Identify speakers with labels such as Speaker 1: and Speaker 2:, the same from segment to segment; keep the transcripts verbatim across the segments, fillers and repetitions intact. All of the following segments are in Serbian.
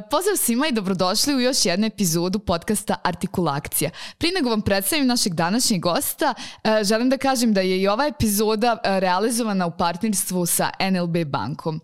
Speaker 1: pozdrav svima i dobrodošli u još jednu epizodu podcasta Artikulakcija. Prije nego vam predstavim našeg današnjeg gosta, želim da kažem da je i ova epizoda realizovana u partnerstvu sa en el be bankom.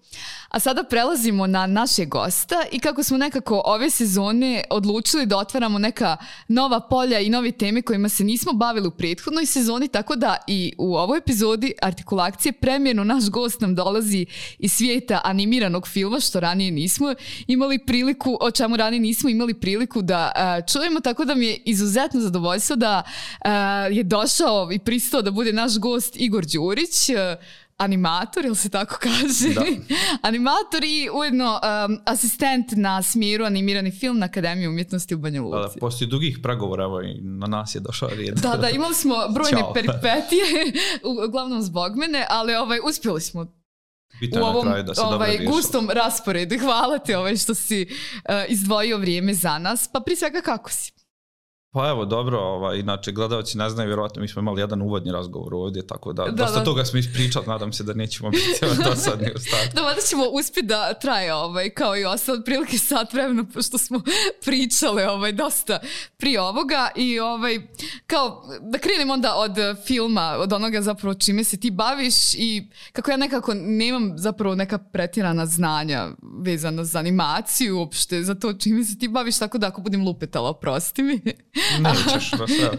Speaker 1: A sada prelazimo na našeg gosta i kako smo nekako ove sezone odlučili da otvaramo neka nova polja i nove teme kojima se nismo bavili u prethodnoj sezoni, tako da i u ovoj epizodi Artikulakcije premijerno naš gost nam dolazi iz svijeta animiranog filma, što ranije nismo imali priliku, o čemu ranije nismo imali priliku da uh, čujemo, tako da mi je izuzetno zadovoljstvo da uh, je došao i pristao da bude naš gost Igor Đurić, uh, animator, ili se tako kaže? Da. Animator i ujedno um, asistent na smjeru animirani film na Akademiji umjetnosti u Banja Luci.
Speaker 2: Da, da, poslije dugih pregovora, evo, i na nas je došao rijed.
Speaker 1: Da, da, imali smo brojne peripetije, uglavnom zbog mene, ali ovaj, uspjeli smo u ovom ovaj, gustom rasporedu. Hvala ti ovaj, što si uh, izdvojio vrijeme za nas. Pa prije svega kako si?
Speaker 2: Pa evo, dobro, ovaj, inače gledalci ne znaju, vjerovatno mi smo imali jedan uvodni razgovor ovdje, tako da,
Speaker 1: da
Speaker 2: dosta
Speaker 1: da.
Speaker 2: toga smo ispričali, nadam se da nećemo biti dosadni u startu.
Speaker 1: Da, da ćemo uspjeti da traje ovaj, kao i ostalo prilike sat vremena, pošto smo pričali ovaj, dosta prije ovoga i ovaj, kao da krenem onda od filma, od onoga zapravo čime se ti baviš i kako ja nekako nemam zapravo neka pretjerana znanja vezana za animaciju uopšte, za to čime se ti baviš, tako da ako budem lupetala, oprosti mi.
Speaker 2: Nećeš, da sve.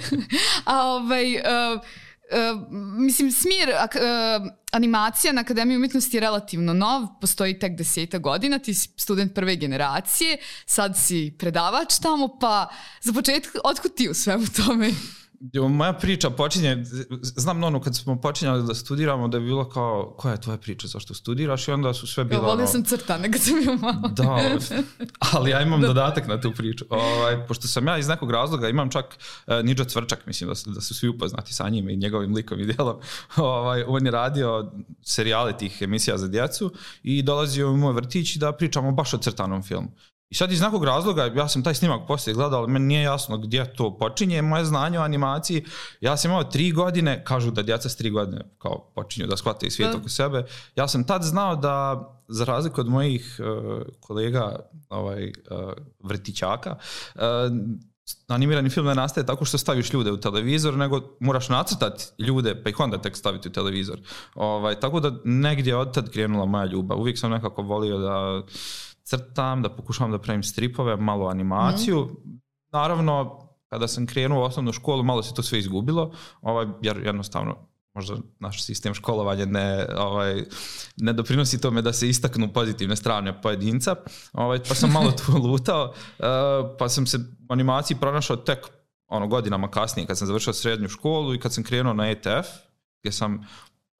Speaker 1: A ovaj, uh, uh, mislim, smjer uh, animacija na Akademiji umjetnosti je relativno nov, postoji tek deseta godina, ti si student prve generacije, sad si predavač tamo, pa za početak, otkud ti u svemu tome?
Speaker 2: Moja priča počinje, znam ono kad smo počinjali da studiramo da je bilo kao, koja je tvoja priča, zašto studiraš, i onda su sve bilo ono...
Speaker 1: Volio sam crtane kad sam bio malo.
Speaker 2: Da, ali ja imam da. dodatak na tu priču. Ovaj, pošto sam ja iz nekog razloga, imam čak uh, Nidža Cvrčak, mislim da, da su svi upoznati sa njim i njegovim likom i djelom. Ovaj, on je radio serijale tih emisija za djecu i dolazio u moj vrtić da pričamo baš o crtanom filmu. I sad iz nekog razloga, ja sam taj snimak poslije gledao, ali meni nije jasno gdje to počinje, moje znanje o animaciji. Ja sam imao tri godine, kažu da djeca s tri godine kao počinju da shvate i svijet oko sebe. Ja sam tad znao da, za razliku od mojih uh, kolega ovaj, uh, vrtićaka, uh, animirani film ne nastaje tako što staviš ljude u televizor, nego moraš nacrtati ljude pa ih onda tek staviti u televizor. Ovaj, tako da negdje od tad krenula moja ljubav. Uvijek sam nekako volio da crtam, da pokušavam da pravim stripove, malo animaciju. Mm. Naravno, kada sam krenuo u osnovnu školu, malo se to sve izgubilo, ovaj, jer jednostavno možda naš sistem školovanja ne, ovaj, ne doprinosi tome da se istaknu pozitivne strane pojedinca, ovaj, pa sam malo tu lutao, uh, pa sam se u animaciji pronašao tek ono, godinama kasnije, kad sam završio srednju školu i kad sam krenuo na E T F, gdje sam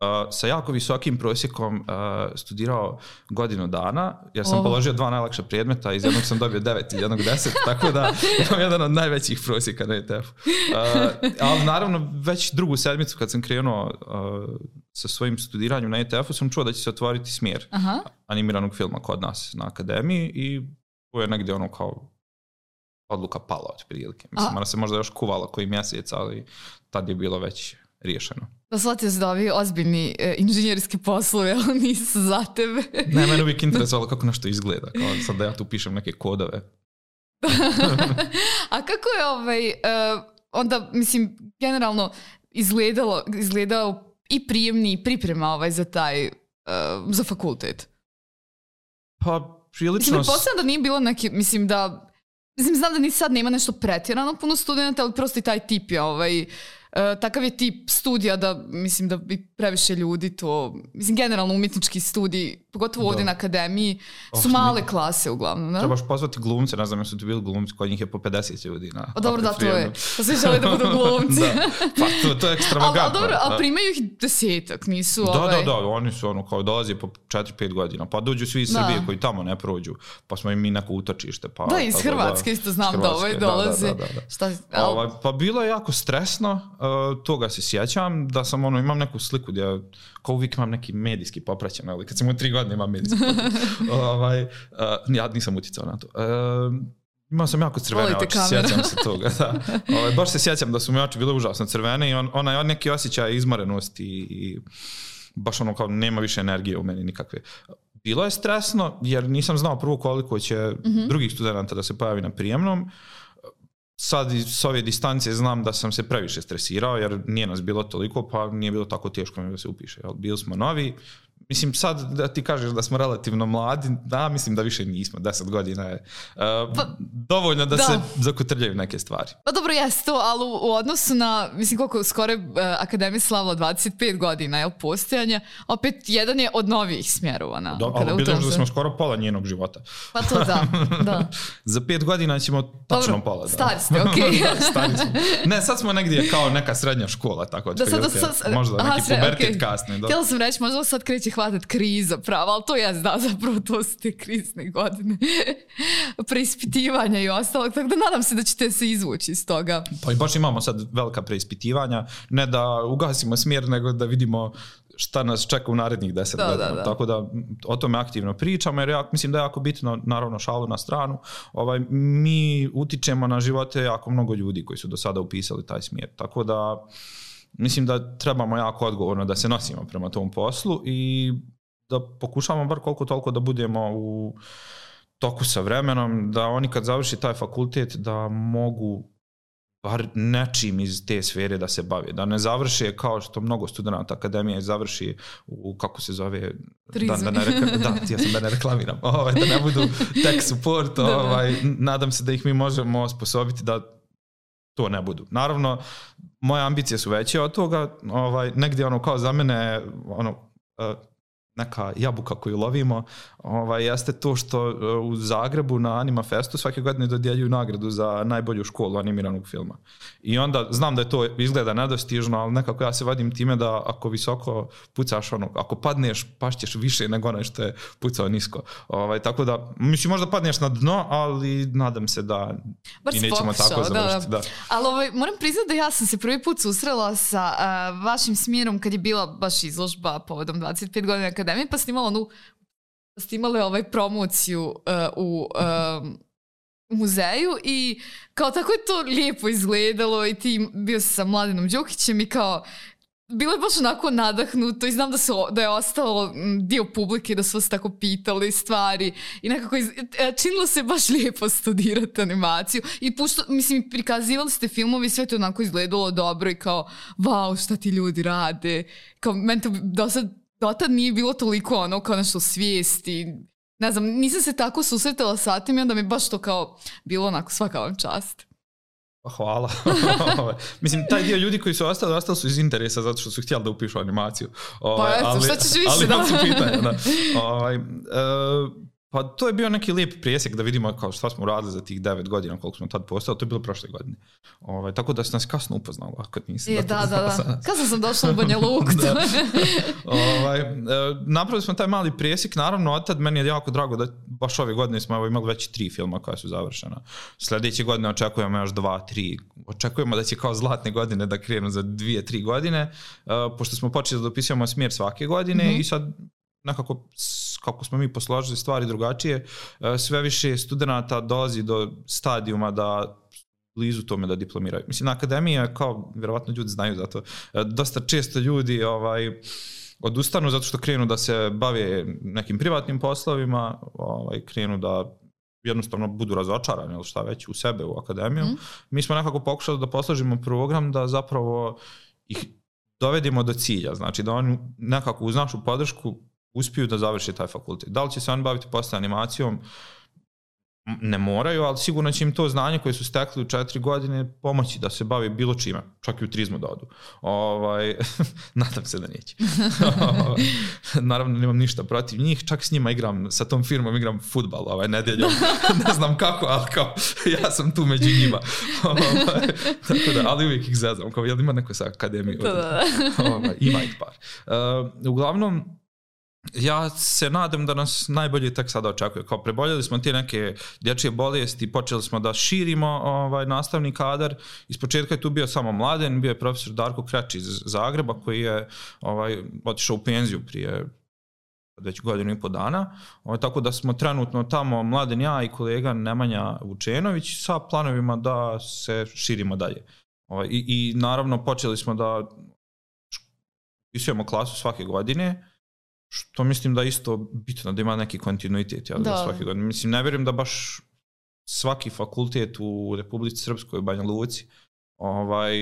Speaker 2: Uh, sa jako visokim prosjekom uh, studirao godinu dana, jer sam oh. položio dva najlakša predmeta, iz jednog sam dobio devet i jednog deset, tako da imam jedan od najvećih prosjeka na E T F-u. Uh, ali naravno već drugu sedmicu kad sam krenuo uh, sa svojim studiranjem na E T F-u sam čuo da će se otvoriti smjer Aha. animiranog filma kod nas na Akademiji i to je negdje ono kao odluka pala od prilike. Mislim, ona se možda još kuvala koji mjesec, ali tad je bilo već riješeno.
Speaker 1: Da shvatio se da ovi ozbiljni e, inženjerski poslovi, ali nisu za tebe.
Speaker 2: Ne, mene uvijek interesovalo kako nešto izgleda, kao sad da ja tu pišem neke kodove.
Speaker 1: A kako je ovaj, uh, onda, mislim, generalno izgledalo, izgledao i prijemni i priprema ovaj za taj, uh, za fakultet?
Speaker 2: Pa, prilično...
Speaker 1: Mislim, pretpostavljam da nije bilo neki, mislim da, mislim, znam da ni sad nema nešto pretjerano puno studenta, ali prosto i taj tip je ovaj... Uh, takav je tip studija da mislim da bi previše ljudi to, mislim generalno umjetnički studij, pogotovo da. Ovdje na Akademiji su oh, male ne. klase uglavnom. Da?
Speaker 2: Trebaš pozvati glumce, ne znam jesu ti bili glumci, kod njih je po pedeset ljudi. Na,
Speaker 1: o dobro da, to je. Pa svi žele da budu glumci.
Speaker 2: Da. Pa to, to je ekstravagantno.
Speaker 1: Ali dobro, ali primaju ih desetak, nisu
Speaker 2: da,
Speaker 1: ovaj...
Speaker 2: Da, da, da, oni su ono kao dolazi po četiri pet godina, pa dođu svi iz da. Srbije koji tamo ne prođu, pa smo im mi neko utočište. Pa,
Speaker 1: da, iz Hrvatske isto znam da ovaj dolaze. Da, da, da, da. Šta, ali...
Speaker 2: ovaj, pa bilo je jako stresno, uh, toga se sjećam, da sam ono, imam neku sliku gdje kao uvijek imam neki medijski popraćen, ali kad sam u tri godine imam medijski popraćen. ovaj, uh, ja nisam utjecao na to. Uh, imao sam jako crvene oči, sjećam se toga. Da. Ovaj, baš se sjećam da su mi oči bile užasno crvene i on, onaj neki osjećaj izmorenosti i baš ono kao nema više energije u meni nikakve. bilo je stresno jer nisam znao prvo koliko će mm-hmm. drugih studenta da se pojavi na prijemnom. Sad s ove distance znam da sam se previše stresirao jer nije nas bilo toliko, pa nije bilo tako teško da se upiše. Bili smo novi. Mislim, sad da ti kažeš da smo relativno mladi, da, mislim da više nismo, deset godina je uh, pa, dovoljno da, da se zakotrljaju neke stvari.
Speaker 1: Pa dobro, jes to, ali u, u odnosu na, mislim koliko skoro je uh, Akademija slavila dvadeset pet godina, jel, postojanja, opet jedan je od novih smjerova. Na,
Speaker 2: da, ali bilo da smo skoro pola njenog života.
Speaker 1: Pa to da, da.
Speaker 2: Za pet godina ćemo tačno dobro, pola. Da.
Speaker 1: Stari ste, okej. Okay.
Speaker 2: Da, stari smo. Ne, sad smo negdje kao neka srednja škola, tako da, sad, da sad, možda aha, neki pubertet okay. kasni. Da.
Speaker 1: Htjela sam reći, možda sad kreće hvatat kriza prava, ali to je da, zapravo to su te krizne godine preispitivanja i ostalog, tako da nadam se da ćete se izvući iz toga.
Speaker 2: Pa i baš imamo sad velika preispitivanja, ne da ugasimo smjer, nego da vidimo šta nas čeka u narednih deset da, godina. Da, da. Tako da o tome aktivno pričamo, jer ja mislim da je jako bitno, naravno šalu na stranu, ovaj, mi utičemo na živote jako mnogo ljudi koji su do sada upisali taj smjer, tako da mislim da trebamo jako odgovorno da se nosimo prema tom poslu i da pokušamo bar koliko toliko da budemo u toku sa vremenom, da oni kad završi taj fakultet da mogu bar nečim iz te sfere da se bave, da ne završe kao što mnogo studenta akademije završi u, kako se zove, da, da, ne reka, da, ja sam da ne reklamiram, ovaj, da ne budu tech support, ovaj, nadam se da ih mi možemo osposobiti da to ne budu. Naravno, moje ambicije su veće od toga, ovaj, negdje ono kao za mene, ono, uh, neka jabuka koju lovimo, ovaj, jeste to što u Zagrebu na Anima Festu svake godine dodjeljuju nagradu za najbolju školu animiranog filma. I onda znam da je to izgleda nedostižno, ali nekako ja se vadim time da ako visoko pucaš, ono, ako padneš, pašćeš više nego onaj što je pucao nisko. Ovaj, tako da, mislim, možda padneš na dno, ali nadam se da
Speaker 1: bar
Speaker 2: i nećemo pokušao, tako završiti. Da.
Speaker 1: Da. Ali ovaj, moram priznati da ja sam se prvi put susrela sa uh, vašim smjerom kad je bila baš izložba povodom dvadeset pet godina akademije, pa ste imali onu ste imali ovaj promociju uh, u uh, muzeju i kao tako je to lijepo izgledalo i ti bio si sa Mladenom Đukićem i kao bilo je baš onako nadahnuto i znam da, su, da je ostalo dio publike da su vas tako pitali stvari i nekako iz, činilo se baš lijepo studirati animaciju i pušto, mislim, prikazivali ste filmovi, sve to onako izgledalo dobro i kao wow, šta ti ljudi rade, kao meni to do sad dotad nije bilo toliko ono kao nešto svijesti, ne znam, nisam se tako susretala sa tim i onda mi baš to kao bilo onako svaka vam čast.
Speaker 2: Hvala. Mislim, taj dio ljudi koji su ostali, ostali su iz interesa zato što su htjeli da upišu animaciju.
Speaker 1: Pa eto, ali, šta ćeš više,
Speaker 2: ali,
Speaker 1: da?
Speaker 2: Ali su pitanja, da. Ovaj, uh, pa to je bio neki lijep presjek da vidimo kao šta smo uradili za tih devet godina koliko smo tad postali, to je bilo prošle godine. Ovaj, tako da se nas kasno upoznali, ako nisi.
Speaker 1: Je, da, da, da. Kasno sam došla u Banja Luku.
Speaker 2: ovaj, uh, napravili smo taj mali presjek, naravno od tad meni je jako drago da baš ove godine smo evo, imali već tri filma koja su završena. Sljedeće godine očekujemo još dva, tri. Očekujemo da će kao zlatne godine da krenu za dvije, tri godine, uh, pošto smo počeli da dopisujemo smjer svake godine mm-hmm. i sad nekako kako smo mi posložili stvari drugačije, sve više studenata dolazi do stadijuma da blizu tome da diplomiraju. Mislim, na akademiji je kao, vjerovatno ljudi znaju zato, dosta često ljudi ovaj, odustanu zato što krenu da se bave nekim privatnim poslovima, ovaj, krenu da jednostavno budu razočarani ili šta već u sebe, u akademiju. Mm. Mi smo nekako pokušali da posložimo program da zapravo ih dovedemo do cilja, znači da oni nekako uz našu podršku uspiju da završi taj fakultet. Da li će se oni baviti posle animacijom? Ne moraju, ali sigurno će im to znanje koje su stekli u četiri godine pomoći da se bavi bilo čime, čak i u turizmu da odu. Ovaj, nadam se da neće. Naravno, nemam ništa protiv njih, čak s njima igram, sa tom firmom igram fudbal ovaj, nedeljom. Ne znam kako, ali kao ja sam tu među njima. Ovaj, tako da, ali uvijek ih zezam. Kao, jel ima neko sa akademije? Ovaj, ima ih par. Uh, uglavnom, ja se nadam da nas najbolje tek sada očekuje. Kao preboljeli smo te neke dječje bolesti, počeli smo da širimo ovaj, nastavni kadar. Iz početka je tu bio samo Mladen, bio je profesor Darko Kreč iz Zagreba koji je ovaj, otišao u penziju prije već godinu i po dana. Ovaj, tako da smo trenutno tamo Mladen, ja i kolega Nemanja Vučenović sa planovima da se širimo dalje. Ovaj, i, I naravno počeli smo da upisujemo klasu svake godine, što mislim da je isto bitno, da ima neki kontinuitet ja, da. svake godine. Mislim, ne vjerujem da baš svaki fakultet u Republici Srpskoj, u Banja Luci, ovaj,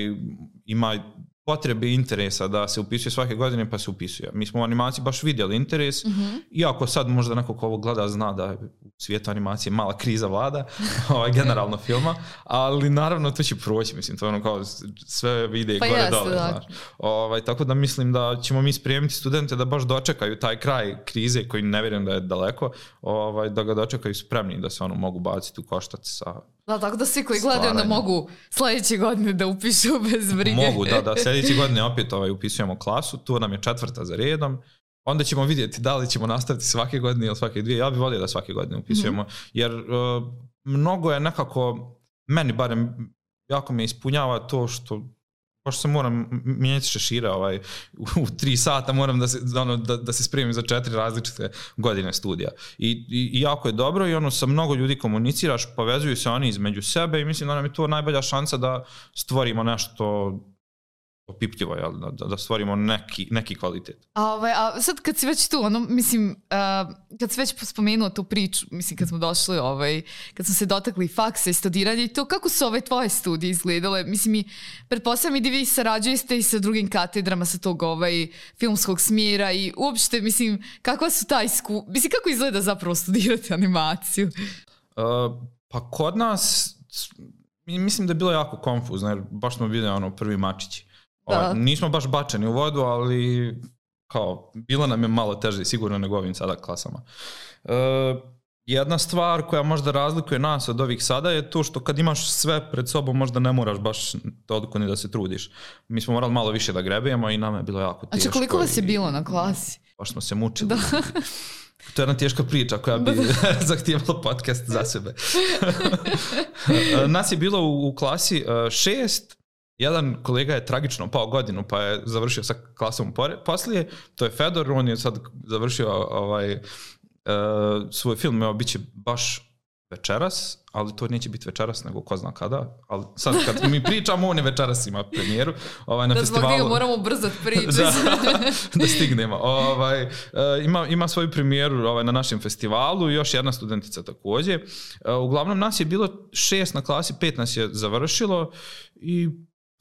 Speaker 2: ima potrebe i interesa da se upisuje svake godine, pa se upisuje. Mi smo u animaciji baš vidjeli interes, mm-hmm. iako sad možda neko ko ovo gleda zna da u svijetu animacije mala kriza vlada, ovaj, generalno filma, ali naravno to će proći, mislim, to je ono kao sve vide pa gore jeste, dole, da. Znaš. Ovaj, tako da mislim da ćemo mi spremiti studente da baš dočekaju taj kraj krize koji ne vjerujem da je daleko, ovaj, da ga dočekaju spremni, da se ono mogu baciti u koštac sa
Speaker 1: da, tako da svi koji gledaju onda mogu sljedeće godine da upišu bez brige.
Speaker 2: Mogu, da, da. Sljedeće godine opet ovaj, upisujemo klasu, tu nam je četvrta za redom. Onda ćemo vidjeti da li ćemo nastaviti svake godine ili svake dvije. Ja bih volio da svake godine upisujemo, mm-hmm. jer uh, mnogo je nekako, meni barem jako me ispunjava to što baš se moram mijenjati šešira ovaj, u, u tri sata, moram da se, ono, da, da se spremim za četiri različite godine studija. I, i, i jako je dobro i ono sa mnogo ljudi komuniciraš, povezuju se oni između sebe i mislim da nam je to najbolja šansa da stvorimo nešto opipljivo, jel? Da, da stvorimo neki, neki kvalitet.
Speaker 1: A, ovaj, a sad kad si već tu, ono, mislim, uh, kad si već spomenuo tu priču, mislim, kad smo došli, ovaj, kad smo se dotakli faksa i studiranja i to, kako su ove tvoje studije izgledale? Mislim, i pretpostavljam i da vi sarađujete i sa drugim katedrama sa tog ovaj, filmskog smjera i uopšte, mislim, kakva su ta isku... Mislim, kako izgleda zapravo studirati animaciju?
Speaker 2: Uh, pa kod nas, mislim da je bilo jako konfuzno, jer baš smo bili ono, prvi mačići. O, nismo baš bačeni u vodu, ali kao, bilo nam je malo teže sigurno nego ovim sada klasama. E, jedna stvar koja možda razlikuje nas od ovih sada je to što kad imaš sve pred sobom možda ne moraš baš toliko ni da se trudiš. Mi smo morali malo više da grebujemo i nam je bilo jako teško.
Speaker 1: A če koliko vas je bilo na klasi?
Speaker 2: Baš smo se mučili. Da. To je jedna teška priča koja bi zahtijevala podcast za sebe. Nas je bilo u, u klasi šest. Jedan kolega je tragično pao godinu pa je završio sa klasom poslije, to je Fedor, on je sad završio ovaj, uh, svoj film, evo bit će baš večeras, ali to neće biti večeras nego ko zna kada, ali sad kad mi pričamo on je večeras ima premijeru ovaj, na
Speaker 1: da
Speaker 2: festivalu.
Speaker 1: Da zbog moramo ubrzati priču.
Speaker 2: da, da stignemo. Ovaj, uh, ima, ima svoju premijeru ovaj, na našem festivalu i još jedna studentica također. Uh, uglavnom nas je bilo šest na klasi, pet nas je završilo i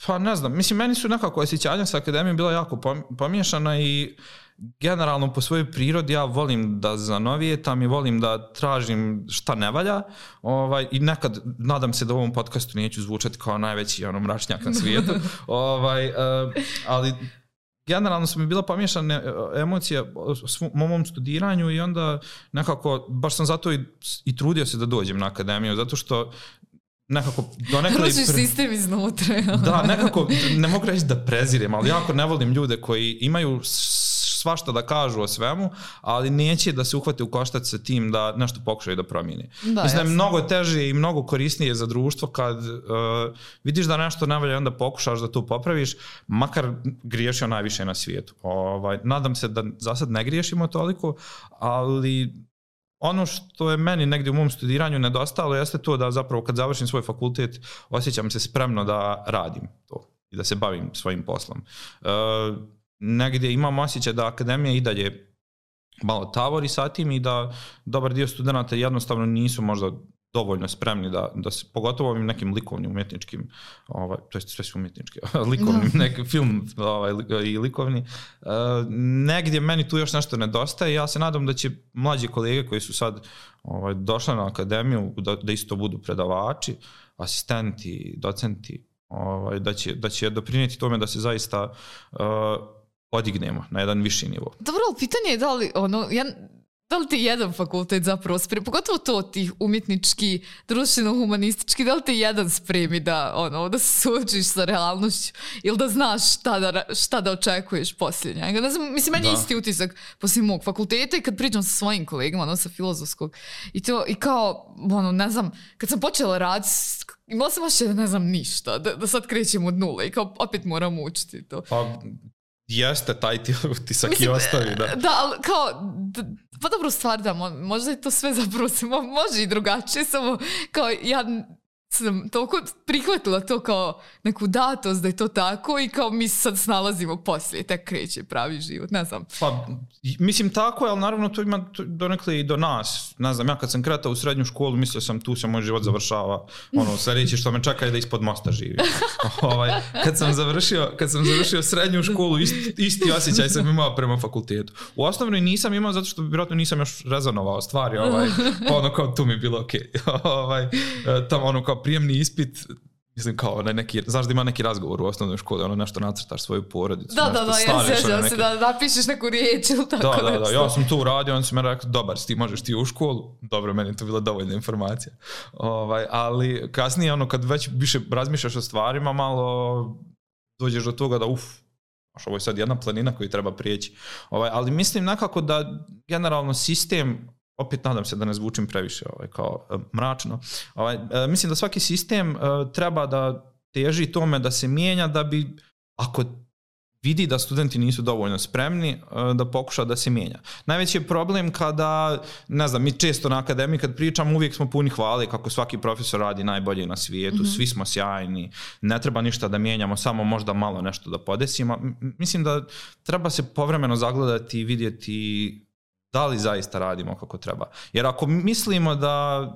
Speaker 2: pa ne znam, mislim, meni su nekako osjećanja sa akademijom bila jako pomiješana i generalno po svojoj prirodi ja volim da zanovijetam i volim da tražim šta ne valja ovaj, i nekad nadam se da u ovom podcastu neću zvučati kao najveći ono, mračnjak na svijetu, ovaj, uh, ali generalno su mi bila pomiješane emocije o mom studiranju i onda nekako, baš sam zato i, i trudio se da dođem na akademiju, zato što nekako donekle...
Speaker 1: Rušiš sistem iznutra.
Speaker 2: Da, nekako, ne mogu reći da prezirem, ali jako ne volim ljude koji imaju svašta da kažu o svemu, ali neće da se uhvate u koštac sa tim da nešto pokušaju da promijeni. Da, mislim da je mnogo teže i mnogo korisnije za društvo kad uh, vidiš da nešto ne valja, onda pokušaš da to popraviš, makar griješio najviše na svijetu. Ovaj, nadam se da za sad ne griješimo toliko, ali ono što je meni negdje u mom studiranju nedostalo jeste to da zapravo kad završim svoj fakultet osjećam se spremno da radim to i da se bavim svojim poslom. Uh, negdje imam osjećaj da akademija i dalje malo tavori sa tim i da dobar dio studenata jednostavno nisu možda dovoljno spremni da, da se, pogotovo ovim nekim likovnim umjetničkim, ovaj, to je sve su umjetnički, likovnim, neki film ovaj, i likovni, uh, negdje meni tu još nešto nedostaje. Ja se nadam da će mlađi kolege koji su sad ovaj, došli na akademiju da, da isto budu predavači, asistenti, docenti, ovaj, da, će, da će doprinijeti tome da se zaista uh, podignemo na jedan viši nivo.
Speaker 1: Dobro, ali pitanje je da li, ono, ja, da li ti jedan fakultet zapravo spremi, pogotovo to tih umjetnički, društveno-humanistički, da li ti jedan spremi da, ono, da se suočiš sa realnošću ili da znaš šta da, šta da očekuješ poslije njega. Ne znam, mislim, meni je isti utisak poslije mog fakulteta i kad pričam sa svojim kolegama, ono, sa filozofskog, i to, i kao, ono, ne znam, kad sam počela raditi, imala sam baš ne znam ništa, da, da sad krećem od nule i kao opet moram učiti to.
Speaker 2: Pa, jeste, taj ti utisak i ostavi, da.
Speaker 1: Da, ali kao, da, pa dobro stvar da, možda je to sve zapravo se može i drugačije, samo kao ja sam toliko prihvatila to kao neku datost da je to tako i kao mi sad snalazimo poslije, tek kreće pravi život, ne znam.
Speaker 2: Pa, mislim tako je, ali naravno to ima donekle i do nas. Ne znam, ja kad sam kretao u srednju školu, mislio sam tu se moj život završava. Ono, sljedeće što me čeka je da ispod mosta živim. ovaj, kad, sam završio, kad sam završio srednju školu, isti, isti osjećaj sam imao prema fakultetu. U osnovnoj nisam imao zato što vjerojatno nisam još rezonovao stvari. Ovaj, pa ono kao tu mi je bilo okej. Okay. ovaj, tamo ono kao prijemni ispit, mislim kao neki, znaš da ima neki razgovor u osnovnoj školi, ono nešto nacrtaš svoju porodicu.
Speaker 1: Da, da, da, ja sjećam se da napišeš neku riječ ili tako.
Speaker 2: Da, da, da, ja sam tu uradio, on su me rekao, dobar, ti možeš ti u školu. Dobro, meni je to bila dovoljna informacija. Ovaj, ali kasnije, ono, kad već više razmišljaš o stvarima, malo dođeš do toga da uf, ovo je sad jedna planina koju treba prijeći. Ovaj, ali mislim nekako da generalno sistem, opet nadam se da ne zvučim previše ovaj, kao uh, mračno. Ovaj, uh, mislim da svaki sistem uh, treba da teži tome da se mijenja da bi, ako vidi da studenti nisu dovoljno spremni, uh, da pokuša da se mijenja. Najveći je problem kada, ne znam, mi često na akademiji kad pričamo uvijek smo puni hvale kako svaki profesor radi najbolje na svijetu, mm-hmm. svi smo sjajni, ne treba ništa da mijenjamo, samo možda malo nešto da podesimo. M- mislim da treba se povremeno zagledati i vidjeti da li zaista radimo kako treba. Jer ako mislimo da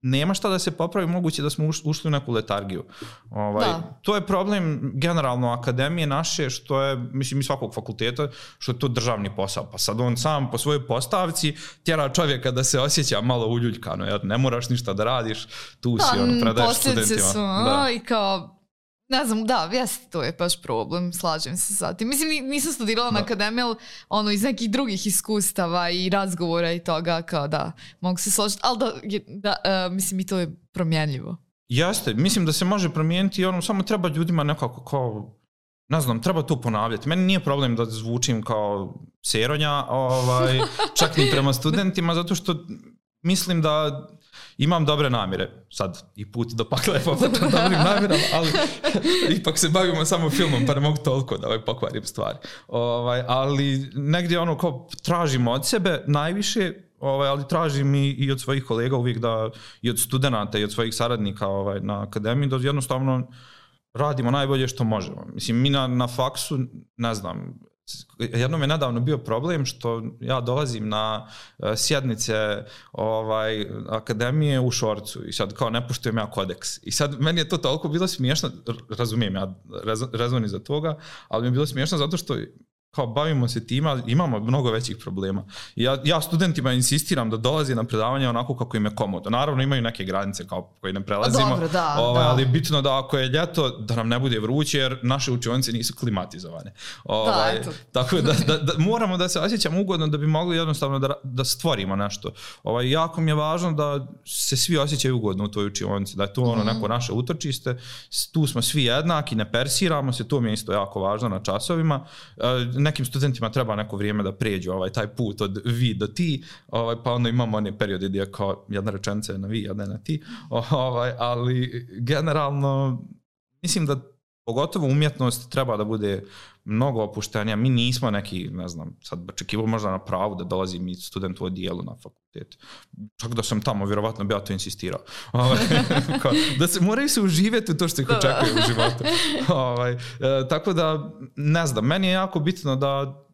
Speaker 2: nema šta da se popravi, moguće da smo ušli u neku letargiju. Ovaj, to je problem generalno akademije naše, što je, mislim, i svakog fakulteta, što je to državni posao. Pa sad on sam po svojoj postavci tjera čovjeka da se osjeća malo uljuljkano, jer ne moraš ništa da radiš, tu si, on predaješ studentima.
Speaker 1: Su, da. I kao, ne znam, da, jeste, to je baš problem, slažem se sa tim. Mislim, nisam studirala da. na akademiji, ali ono, iz nekih drugih iskustava i razgovora i toga, kao da, mogu se složiti, ali da, da uh, mislim, i to je promjenljivo.
Speaker 2: Jeste, mislim da se može promijeniti, ono, samo treba ljudima nekako kao, ne znam, treba to ponavljati. Meni nije problem da zvučim kao seronja, ovaj, čak ni prema studentima, zato što mislim da imam dobre namjere. Sad i put do pakla je poput dobrim namjerama, ali ipak se bavimo samo filmom, pa ne mogu toliko da ovaj pokvarim stvari. Ovaj, ali negdje ono kao tražimo od sebe najviše, ovaj, ali tražim i, i od svojih kolega uvijek da, i od studenata i od svojih saradnika ovaj, na akademiji, da jednostavno radimo najbolje što možemo. Mislim, mi na, na faksu, ne znam, jednom je nedavno bio problem što ja dolazim na uh, sjednice ovaj, akademije u šorcu i sad kao ne poštujem ja kodeks. I sad meni je to toliko bilo smiješno, razumijem ja rezon iza toga, ali mi je bilo smiješno zato što kao bavimo se tima, imamo mnogo većih problema. Ja, ja studentima insistiram da dolazi na predavanje onako kako im je komodno. Naravno imaju neke granice kao koje ne prelazimo,
Speaker 1: dobro, da,
Speaker 2: ovaj,
Speaker 1: da.
Speaker 2: ali je bitno da ako je ljeto da nam ne bude vruće jer naše učionice nisu klimatizovane. Ovaj,
Speaker 1: da,
Speaker 2: tako da, da, da moramo da se osjećamo ugodno da bi mogli jednostavno da, da stvorimo nešto. Ovaj, jako mi je važno da se svi osjećaju ugodno u toj učionici, da je to ono neko naše utočište, tu smo svi jednaki, ne persiramo se, to mi je isto jako važno na časovima. Nekim studentima treba neko vrijeme da pređu ovaj, taj put od vi do ti, ovaj, pa onda imamo one periode gdje kao jedna rečenica je na vi, jedna je na ti, ovaj, ali generalno mislim da pogotovo umjetnost treba da bude mnogo opuštenija. Mi nismo neki, ne znam, sad očekivao možda na pravu da dolazi mi student u odijelu na fakultet. Čak da sam tamo, vjerovatno bi ja to insistirao. Ovaj, kao, da se moraju se uživjeti u to što ih očekuje u životu. Ovaj, e, tako da, ne znam, meni je jako bitno da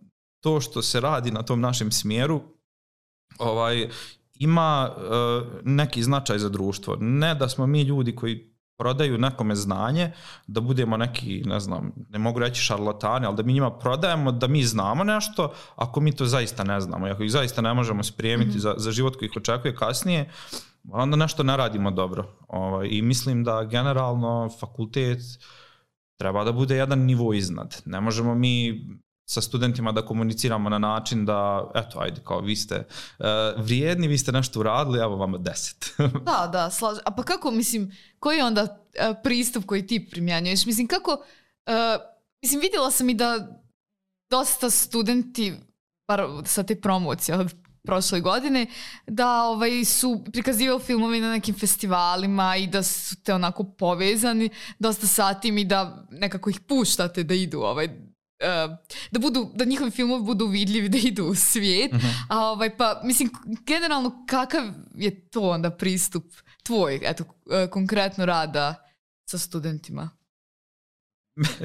Speaker 2: to što se radi na tom našem smjeru ovaj, ima e, neki značaj za društvo. Ne da smo mi ljudi koji prodaju nekome znanje, da budemo neki, ne znam, ne mogu reći šarlatani, ali da mi njima prodajemo da mi znamo nešto, ako mi to zaista ne znamo, ako ih zaista ne možemo spremiti mm-hmm. za, za život koji ih očekuje kasnije, onda nešto ne radimo dobro. Ovaj, i mislim da generalno fakultet treba da bude jedan nivo iznad. Ne možemo mi sa studentima da komuniciramo na način da, eto, ajde, kao vi ste uh, vrijedni, vi ste nešto uradili, evo vama deset.
Speaker 1: da, da, slažem. A pa kako, mislim, koji je onda uh, pristup koji ti primjenjuješ? Mislim, kako, uh, mislim, vidjela sam i da dosta studenti, bar sa te promocije od prošle godine, da ovaj, su prikazivali filmovi na nekim festivalima i da su te onako povezani dosta sa tim i da nekako ih puštate da idu ovaj, Uh, da budu, da njihovi filmovi budu vidljivi, da idu u svijet. Uh-huh. A ovaj, pa, mislim, generalno, kakav je to onda pristup tvoj, eto, konkretno rada sa studentima?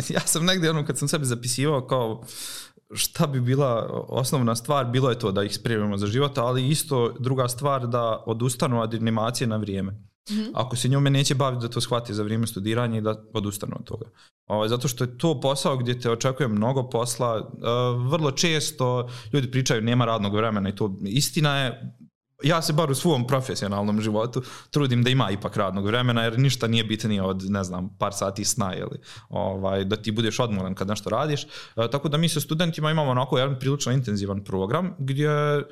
Speaker 2: Ja sam negdje ono kad sam sebi zapisivao kao šta bi bila osnovna stvar, bilo je to da ih spremimo za život, ali isto druga stvar da odustanu od animacije na vrijeme. Mm-hmm. Ako se njome neće baviti, da to shvati za vrijeme studiranja i da odustanu od toga. O, zato što je to posao gdje te očekuje mnogo posla. E, vrlo često ljudi pričaju nema radnog vremena i to istina je. Ja se bar u svom profesionalnom životu trudim da ima ipak radnog vremena, jer ništa nije bitnije od, ne znam, par sati sna ili ovaj, da ti budeš odmoran kad nešto radiš. E, tako da mi sa studentima imamo onako jedan prilično intenzivan program gdje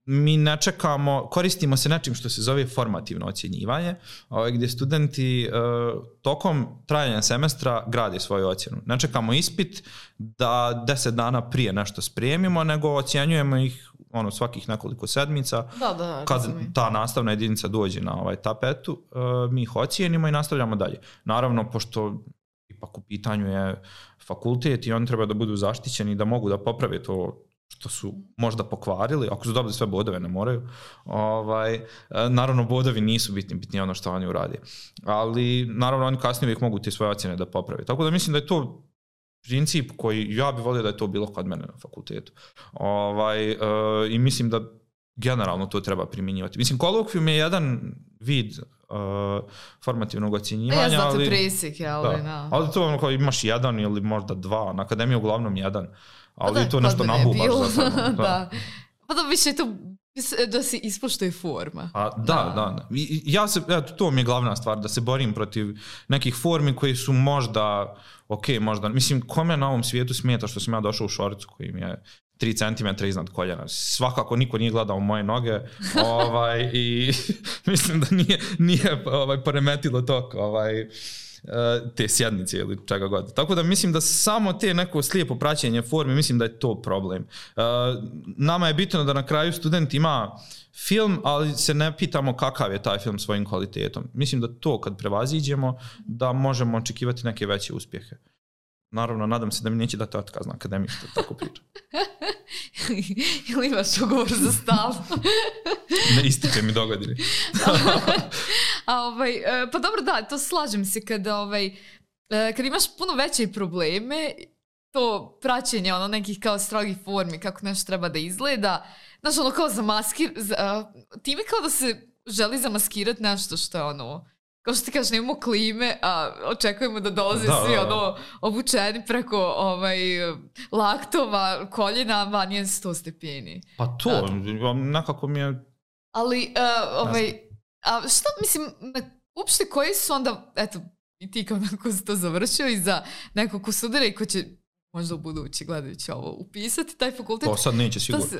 Speaker 2: mi ne čekamo, koristimo se nečim što se zove formativno ocjenjivanje, ovaj, gdje studenti e, tokom trajanja semestra grade svoju ocjenu. Ne čekamo ispit da deset dana prije nešto spremimo, nego ocjenjujemo ih ono svakih nekoliko sedmica.
Speaker 1: Da, da,
Speaker 2: kad
Speaker 1: razumim.
Speaker 2: Ta nastavna jedinica dođe na ovaj tapetu, uh, mi ih ocijenimo i nastavljamo dalje. Naravno, pošto ipak u pitanju je fakultet i oni treba da budu zaštićeni, da mogu da poprave to što su možda pokvarili, ako su dobili sve bodove, ne moraju. Ovaj, naravno, bodovi nisu bitni, bitni ono što oni uradi. Ali, naravno, oni kasnije uvijek mogu te svoje ocjene da poprave. Tako da mislim da je to princip koji ja bih volio da je to bilo kod mene na fakultetu. Ovaj, uh, I mislim da generalno to treba primjenjivati. Mislim, kolokvijum je jedan vid uh, formativnog ocjenjivanja.
Speaker 1: Ja znate
Speaker 2: ali,
Speaker 1: presjek, ali
Speaker 2: da,
Speaker 1: no.
Speaker 2: ali to ono kao imaš jedan ili možda dva, na akademiji uglavnom jedan. Ali
Speaker 1: da,
Speaker 2: to nešto nabubaš za sebe. Da.
Speaker 1: Da. Pa da više to da se ispoštuje forma.
Speaker 2: A, da, da, da. I, ja se, eto, to mi je glavna stvar, da se borim protiv nekih formi koji su možda, ok, možda, mislim, kome na ovom svijetu smeta što sam ja došao u šorcu koji mi je tri centimetra iznad koljena. Svakako niko nije gledao moje noge ovaj, i mislim da nije, nije ovaj, poremetilo tok ovaj, te sjednice ili čega god. Tako da mislim da samo te neko slijepo praćenje forme, mislim da je to problem. Nama je bitno da na kraju student ima film, ali se ne pitamo kakav je taj film svojim kvalitetom. Mislim da to kad prevaziđemo, da možemo očekivati neke veće uspjehe. Naravno, nadam se da mi neće dati otkaz na akademiji što tako pričam.
Speaker 1: Ili imaš ugovor za stalno?
Speaker 2: Ne ističe mi dogodine.
Speaker 1: A ovaj, pa dobro, da, to slažem se kada, ovaj, kad imaš puno veće probleme, to praćenje ono nekih kao strogih formi, kako nešto treba da izgleda, znaš, ono kao zamaskir, za, time kao da se želi zamaskirati nešto što je ono, kao što ti kažeš, nemamo klime, a očekujemo da dolaze da, svi ono obučeni preko ovaj, laktova, koljena, van je sto stepeni.
Speaker 2: Pa to, da. Nekako mi je...
Speaker 1: Ali, uh, ovaj, a šta, mislim, uopšte koji su onda, eto, i ti kao neko si to završio i za nekog ko studira i ko će možda u budući gledajući ovo upisati, taj fakultet...
Speaker 2: To sad neće sigurno. Se...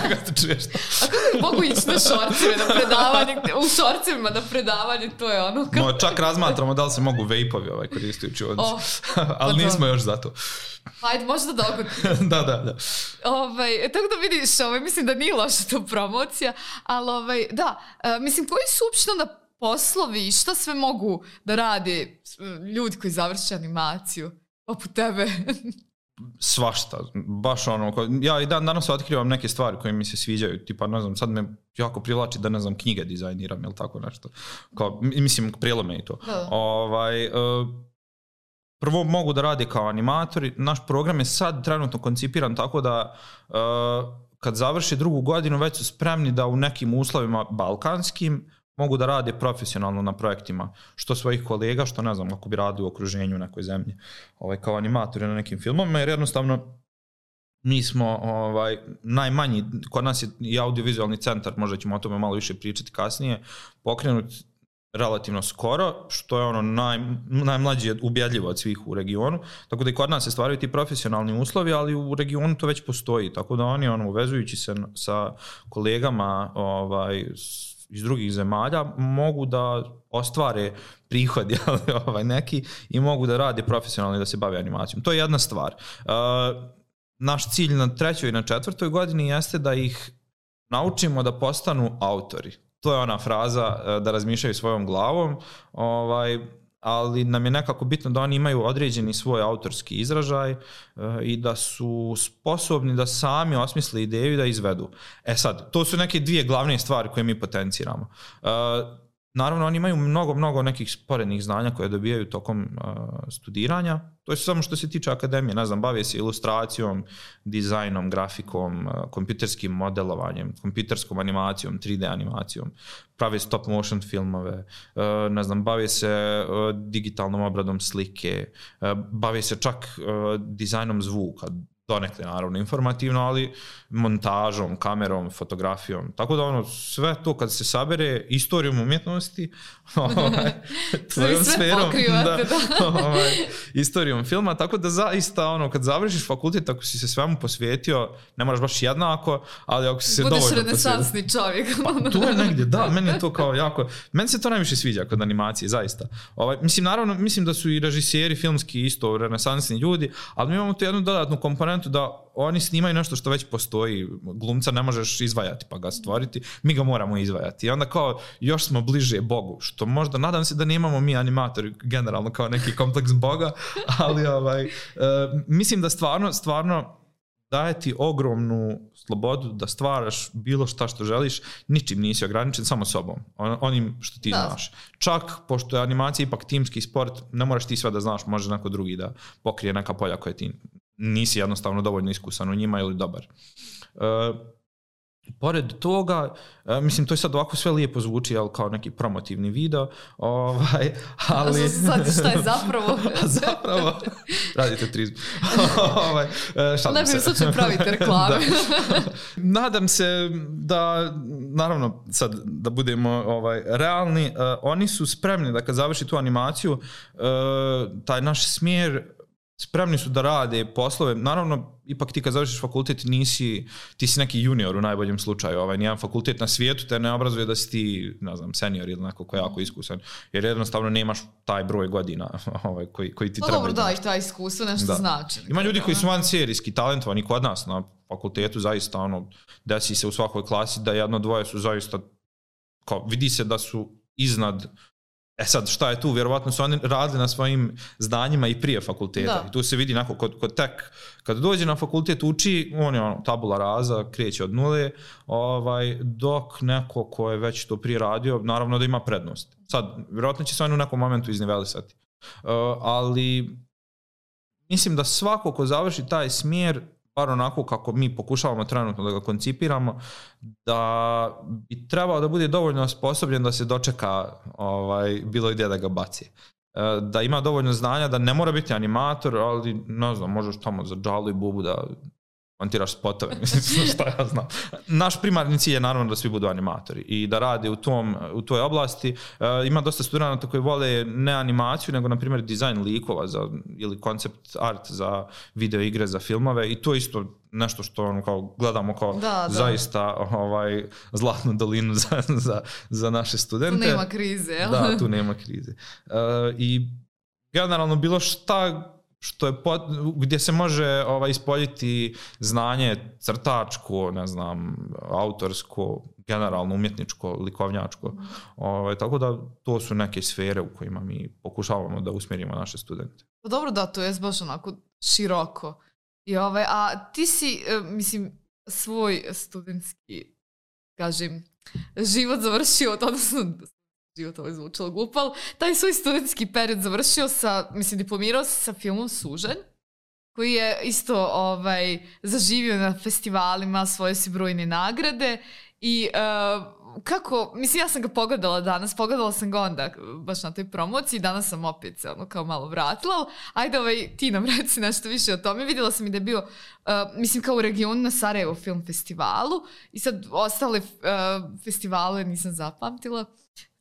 Speaker 2: Kako te čuješ to?
Speaker 1: A kako mogu ići na šorceve, na predavanje, u šorcevima na predavanje, to je ono... Kao...
Speaker 2: No, čak razmatramo da li se mogu vejpovi ovaj koristujući od... Oh, ali pa nismo još za to.
Speaker 1: Ajde, možda dogoditi.
Speaker 2: da, da, da.
Speaker 1: Ovaj, tako da vidiš, ovaj, mislim da nije loša to promocija, ali ovaj, da, mislim, koji su uopšte onda poslovi i šta sve mogu da rade ljudi koji završe animaciju, poput tebe?
Speaker 2: Svašta, baš ono, ja i dan danas otkrivam neke stvari koje mi se sviđaju, tipa, ne znam, sad me jako privlači da, ne znam, knjige dizajniram ili tako nešto, kao, mislim, prilome i to. Da. Ovaj, uh, prvo mogu da rade kao animatori, naš program je sad trenutno koncipiran tako da uh, kad završi drugu godinu već su spremni da u nekim uslovima balkanskim mogu da rade profesionalno na projektima, što svojih kolega, što ne znam, ako bi radili u okruženju u nekoj zemlji, ovaj, kao animatori na nekim filmovima, jer jednostavno mi smo ovaj, najmanji, kod nas je i audiovizualni centar, možda ćemo o tome malo više pričati kasnije, pokrenut relativno skoro, što je ono naj, najmlađi ubjedljivo od svih u regionu, tako da i kod nas se stvaraju ti profesionalni uslovi, ali u regionu to već postoji, tako da oni ono, uvezujući se sa kolegama ovaj, iz drugih zemalja mogu da ostvare prihod ovaj, neki i mogu da rade profesionalno i da se bave animacijom. To je jedna stvar. Uh, naš cilj na trećoj i na četvrtoj godini jeste da ih naučimo da postanu autori. To je ona fraza uh, da razmišljaju svojom glavom, ovaj, ali nam je nekako bitno da oni imaju određeni svoj autorski izražaj uh, i da su sposobni da sami osmisle ideju i da izvedu. E sad, to su neke dvije glavne stvari koje mi potenciramo. Uh, naravno, oni imaju mnogo, mnogo nekih sporednih znanja koje dobijaju tokom uh, studiranja. To je samo što se tiče akademije, ne znam, bave se ilustracijom, dizajnom, grafikom, uh, kompjuterskim modelovanjem, kompjuterskom animacijom, tri D animacijom, prave stop motion filmove, uh, ne znam, bave se uh, digitalnom obradom slike, uh, bave se čak uh, dizajnom zvuka, donekle naravno informativno, ali montažom, kamerom, fotografijom. Tako da ono, sve to kad se sabere, istorijom umjetnosti, ovaj, tvojom sferom, da, ovaj, istorijom filma, tako da zaista ono, kad završiš fakultet, ako si se svemu posvetio, ne moraš baš jednako, ali ako si se
Speaker 1: budeš
Speaker 2: dovoljno posvetio.
Speaker 1: Budeš renesansni čovjek.
Speaker 2: Pa, to je negdje, da, meni je to kao jako, meni se to najviše sviđa kod animacije, zaista. Ovaj, mislim, naravno, mislim da su i režiseri filmski isto renesansni ljudi, ali mi imamo tu jednu dodatnu komponentu da oni snimaju nešto što već postoji. Glumca ne možeš izvajati pa ga stvoriti, mi ga moramo izvajati. I onda kao još smo bliže Bogu, što možda, nadam se da nemamo mi animatori generalno kao neki kompleks Boga, ali ovaj, uh, mislim da stvarno, stvarno daje ti ogromnu slobodu da stvaraš bilo šta što želiš, ničim nisi ograničen, samo sobom, on, onim što ti da. Znaš. Čak, pošto je animacija ipak timski sport, ne moraš ti sve da znaš, može neko drugi da pokrije neka polja koje ti nisi jednostavno dovoljno iskusan u njima ili dobar. Uh, pored toga, uh, mislim, to je sad ovako sve lijepo zvuči, ali kao neki promotivni video, ovaj, ali...
Speaker 1: Sad šta je zapravo?
Speaker 2: zapravo, radite trizmu. ovaj, uh,
Speaker 1: ne bih sad će praviti reklame.
Speaker 2: Nadam se da, naravno, sad da budemo ovaj, realni, uh, oni su spremni da kad završi tu animaciju, uh, taj naš smjer, spremni su da rade poslove. Naravno, ipak ti kad završiš fakultet nisi, ti si neki junior u najboljem slučaju. Ovaj, nijedan fakultet na svijetu te ne obrazuje da si ti, ne znam, senior ili neko ko je jako iskusan. Jer jednostavno nemaš taj broj godina ovaj, koji, koji ti
Speaker 1: pa
Speaker 2: treba.
Speaker 1: Dobro, da, i taj iskustvo nešto da. Znači.
Speaker 2: Ima ljudi koji su vanserijski talentovani kod nas na fakultetu, zaista ono, desi se u svakoj klasi da jedno dvoje su zaista, kao, vidi se da su iznad. E sad, šta je tu? Vjerovatno su oni radili na svojim znanjima i prije fakulteta. Da. I tu se vidi neko, kod, kod tek, kad dođe na fakultet uči, on je ono, tabula rasa, kreće od nule, ovaj, dok neko ko je već to prije radio, naravno da ima prednost. Sad, vjerovatno će se on u nekom momentu iznivelisati. Uh, ali mislim da svako ko završi taj smjer, bar onako kako mi pokušavamo trenutno da ga koncipiramo, da bi trebao da bude dovoljno osposobljen da se dočeka ovaj, bilo gdje da ga baci. Da ima dovoljno znanja, da ne mora biti animator, ali ne znam, možeš tamo za džalu i bubu da montiraš spotove, mislim, šta ja znam. Naš primarni cilj je naravno da svi budu animatori i da rade u, tom, u toj oblasti. E, ima dosta studenata koji vole ne animaciju, nego na primjer dizajn likova za, ili koncept art za video igre, za filmove i to je isto nešto što ono, kao, gledamo kao da, da. zaista ovaj, zlatnu dolinu za, za, za naše studente.
Speaker 1: Tu nema krize, jel?
Speaker 2: Da, tu nema krize. E, I generalno bilo šta što je pot, gdje se može ovaj, ispoljiti znanje crtačko, ne znam, autorsko, generalno umjetničko, likovnjačko. Ovaj, tako da to su neke sfere u kojima mi pokušavamo da usmjerimo naše studente.
Speaker 1: Pa dobro, da, to je baš onako široko. I ovaj, a ti si, mislim, svoj studentski, kažem, život završio, odnosno život ovo je zvučalo glupo, ali taj svoj studentski period završio sa, mislim, diplomirao se sa filmom Sužanj, koji je isto ovaj, zaživio na festivalima, svoje si brojne nagrade i uh, kako, mislim, ja sam ga pogledala danas, pogledala sam ga onda baš na toj promociji, danas sam opet se ono kao malo vratila, ali ajde ovaj, ti nam reci nešto više o tome. Vidjela sam i da je bio, uh, mislim, kao u regionu na Sarajevo film festivalu i sad ostale uh, festivale nisam zapamtila.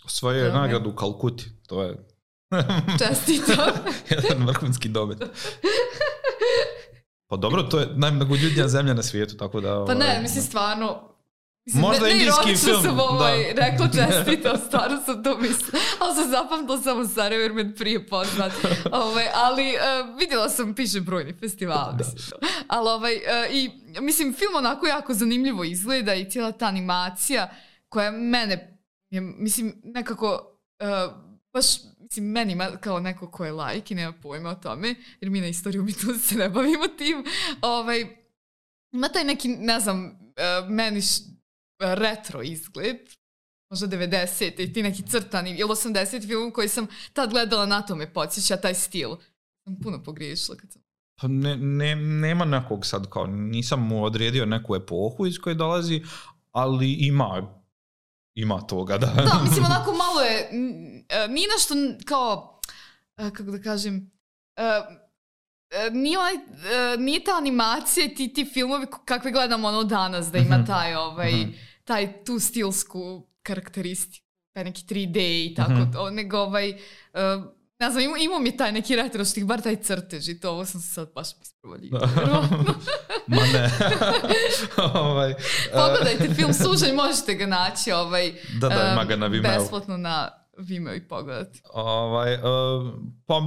Speaker 2: Svoje je nagradu u Kalkuti, to je...
Speaker 1: Čestito.
Speaker 2: Jedan vrhunski domet. Pa dobro, to je najmnogoljudnija zemlja na svijetu, tako da...
Speaker 1: Pa ne, mislim, stvarno... Mislim,
Speaker 2: možda
Speaker 1: ne,
Speaker 2: indijski film.
Speaker 1: Sam ovaj, da. rekla čestito, stvarno sam to mislila. Ali sam zapamtila samo Sarajevo jer me prije poznat. Ovaj, ali uh, vidjela sam, piše brojni festival. Mislim. Ali ovaj, uh, i mislim, film onako jako zanimljivo izgleda i cijela ta animacija koja mene... Je, mislim, nekako, uh, baš, mislim, meni ima kao neko ko je laik i nema pojma o tome, jer mi na istoriju umjetnosti se ne bavimo tim, ovaj, ima taj neki, ne znam, uh, meni š, retro izgled, možda devedeset i ti neki crtani ili osamdeset film koji sam tad gledala, na to me podsjeća taj stil. Sam puno pogriješila kad sam...
Speaker 2: Pa ne, ne, nema nekog sad kao, nisam mu odredio neku epohu iz koje dolazi, ali ima, ima toga, da.
Speaker 1: Da, mislim, onako malo je, nije nešto kao, kako da kažem, nije, onaj, nije ta animacija i ti, ti filmovi kakve gledamo ono danas, da ima taj, ovaj, taj tu stilsku karakteristiku, taj neki tri D i tako, mm-hmm. to, nego ovaj, ne znam, imao, imao mi taj neki retro štih, bar taj crtež i to, ovo sam se sad baš isprovaljila.
Speaker 2: Ma ne. ovaj,
Speaker 1: Pogledajte film Sužanj, možete ga naći ovaj,
Speaker 2: da, da, ima ga na Vimeo.
Speaker 1: Besplatno na Vimeo i pogledati.
Speaker 2: Ovaj, uh, pa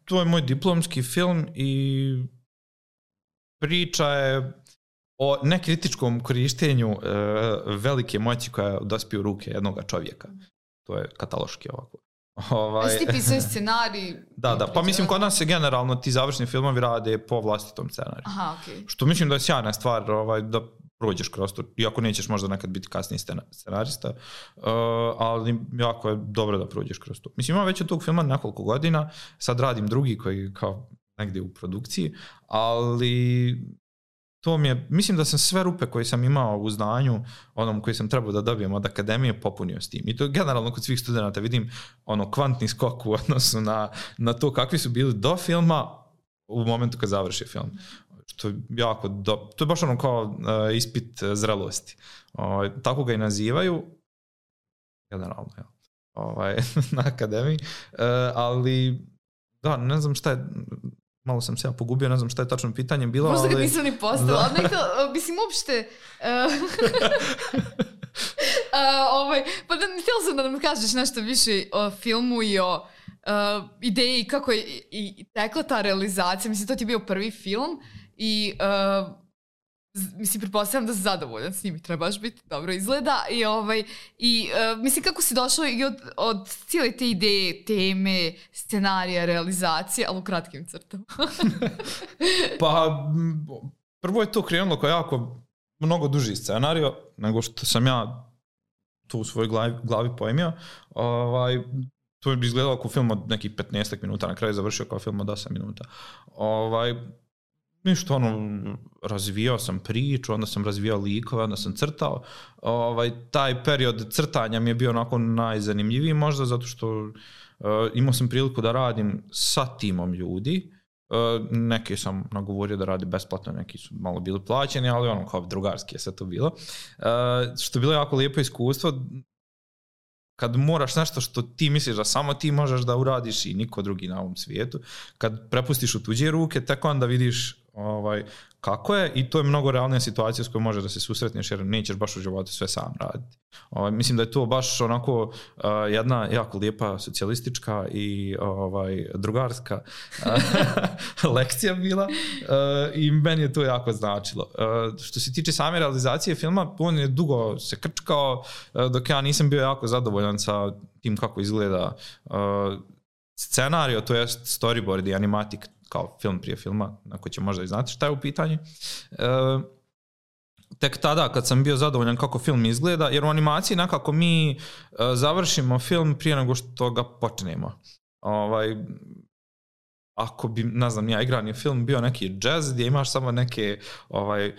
Speaker 2: to je moj diplomski film i priča je o nekritičkom korištenju uh, velike moći koja dospije u ruke jednog čovjeka. To je kataloški ovako.
Speaker 1: Ovaj... A si ti pisao scenarij?
Speaker 2: Da, da, pa mislim kod nas se generalno ti završni filmovi rade po vlastitom scenariju.
Speaker 1: Aha, okej. Okay.
Speaker 2: Što mislim da je sjajna stvar ovaj, da prođeš kroz to, iako nećeš možda nekad biti kasniji scenarista, uh, ali jako je dobro da prođeš kroz to. Mislim, imam već od tog filma nekoliko godina, sad radim drugi koji kao negdje u produkciji, ali to mi je, mislim da sam sve rupe koje sam imao u znanju, onom koji sam trebao da dobijem od akademije, popunio s tim. I to je generalno kod svih studenta vidim ono kvantni skok u odnosu na, na to kakvi su bili do filma u momentu kad završi film. Što je jako do, to je baš ono kao uh, ispit zrelosti. Uh, tako ga i nazivaju, generalno, ja. ovaj, na akademiji, uh, ali da, ne znam šta je, malo sam se ja pogubio, ne znam šta je tačno pitanje bilo.
Speaker 1: Možda
Speaker 2: ali...
Speaker 1: ga nisam ni postavila, ali nekako, mislim, uopšte... Uh, uh, ovaj, pa da, htjela sam da nam kažeš nešto više o filmu i o uh, ideji kako je i, i tekla ta realizacija. Mislim, to ti je bio prvi film i uh, mislim, pretpostavljam da si zadovoljan s njim i trebaš biti, dobro izgleda i, ovaj, i uh, mislim, kako si došao i od, od cijele te ideje, teme, scenarija, realizacije, ali u kratkim crtama.
Speaker 2: Pa prvo je to krenulo kao jako mnogo duži scenario nego što sam ja to u svojoj glavi, glavi pojmio. Ovaj, to je izgledalo kao film od nekih petnaest minuta, na kraju završio kao film od osam minuta. Ovaj, ništa, ono, razvijao sam priču, onda sam razvijao likove, onda sam crtao. Ovaj, taj period crtanja mi je bio onako najzanimljiviji možda, zato što uh, imao sam priliku da radim sa timom ljudi. Uh, neke sam nagovorio da radi besplatno, neki su malo bili plaćeni, ali ono kao drugarski je sve to bilo. Uh, što je bilo jako lijepo iskustvo, kad moraš nešto što ti misliš da samo ti možeš da uradiš i niko drugi na ovom svijetu, kad prepustiš u tuđe ruke, tek onda vidiš ovaj, kako je, i to je mnogo realnija situacija s kojom možeš da se susretneš, jer nećeš baš u životu sve sam raditi. Ovaj, mislim da je to baš onako uh, jedna jako lijepa socijalistička i ovaj, drugarska uh, lekcija bila uh, i meni je to jako značilo. Uh, što se tiče same realizacije filma, on je dugo se krčkao, uh, dok ja nisam bio jako zadovoljan sa tim kako izgleda uh, scenario, to jest storyboard i animatik kao film prije filma, na koji će možda i znati šta je u pitanju. E, tek tada kad sam bio zadovoljan kako film izgleda, jer u animaciji nekako mi e, završimo film prije nego što ga počnemo. Ovaj, ako bi, ne znam, ja igrani film bio neki jazz gdje imaš samo neke ovaj,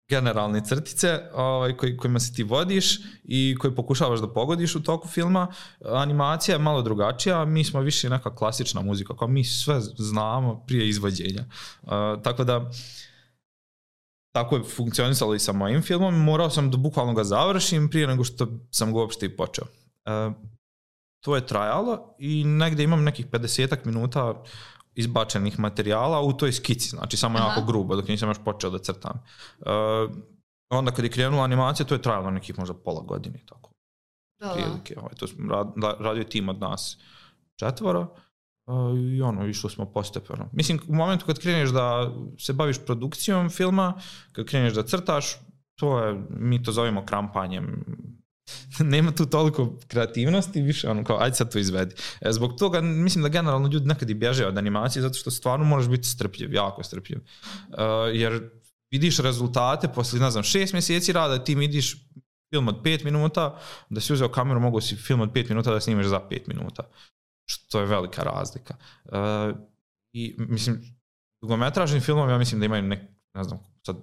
Speaker 2: generalne crtice ovaj, koj, kojima se ti vodiš i koji pokušavaš da pogodiš u toku filma. Animacija je malo drugačija, mi smo više neka klasična muzika, kao mi sve znamo prije izvođenja. Uh, tako da tako je funkcionisalo i sa mojim filmom, morao sam da bukvalno ga završim prije nego što sam ga uopšte i počeo. Uh, to je trajalo i negdje imam nekih pedesetak minuta izbačenih materijala u toj skici, znači samo Aha. jako grubo, dok nisam još počeo da crtam. Uh, onda kad je krenula animacija, to je trajalo nekih možda pola godine, tako.
Speaker 1: Da,
Speaker 2: prilike. Ovaj, to smo rad, radio tim od nas četvora uh, i ono, išli smo postepeno. Mislim, u momentu kad kreneš da se baviš produkcijom filma, kad kreneš da crtaš, to je, mi to zovemo krampanjem. Nema tu toliko kreativnosti, više ono kao, ajde sad to izvedi. E, zbog toga mislim da generalno ljudi nekad i bježe od animacije, zato što stvarno moraš biti strpljiv, jako strpljiv. Uh, jer vidiš rezultate posle, ne znam, šest mjeseci rada, ti vidiš film od pet minuta, da si uzeo kameru, mogu si film od pet minuta da snimeš za pet minuta. Što je velika razlika. Uh, I, mislim, dugometražni filmovi, ja mislim da imaju nek, ne znam, sad,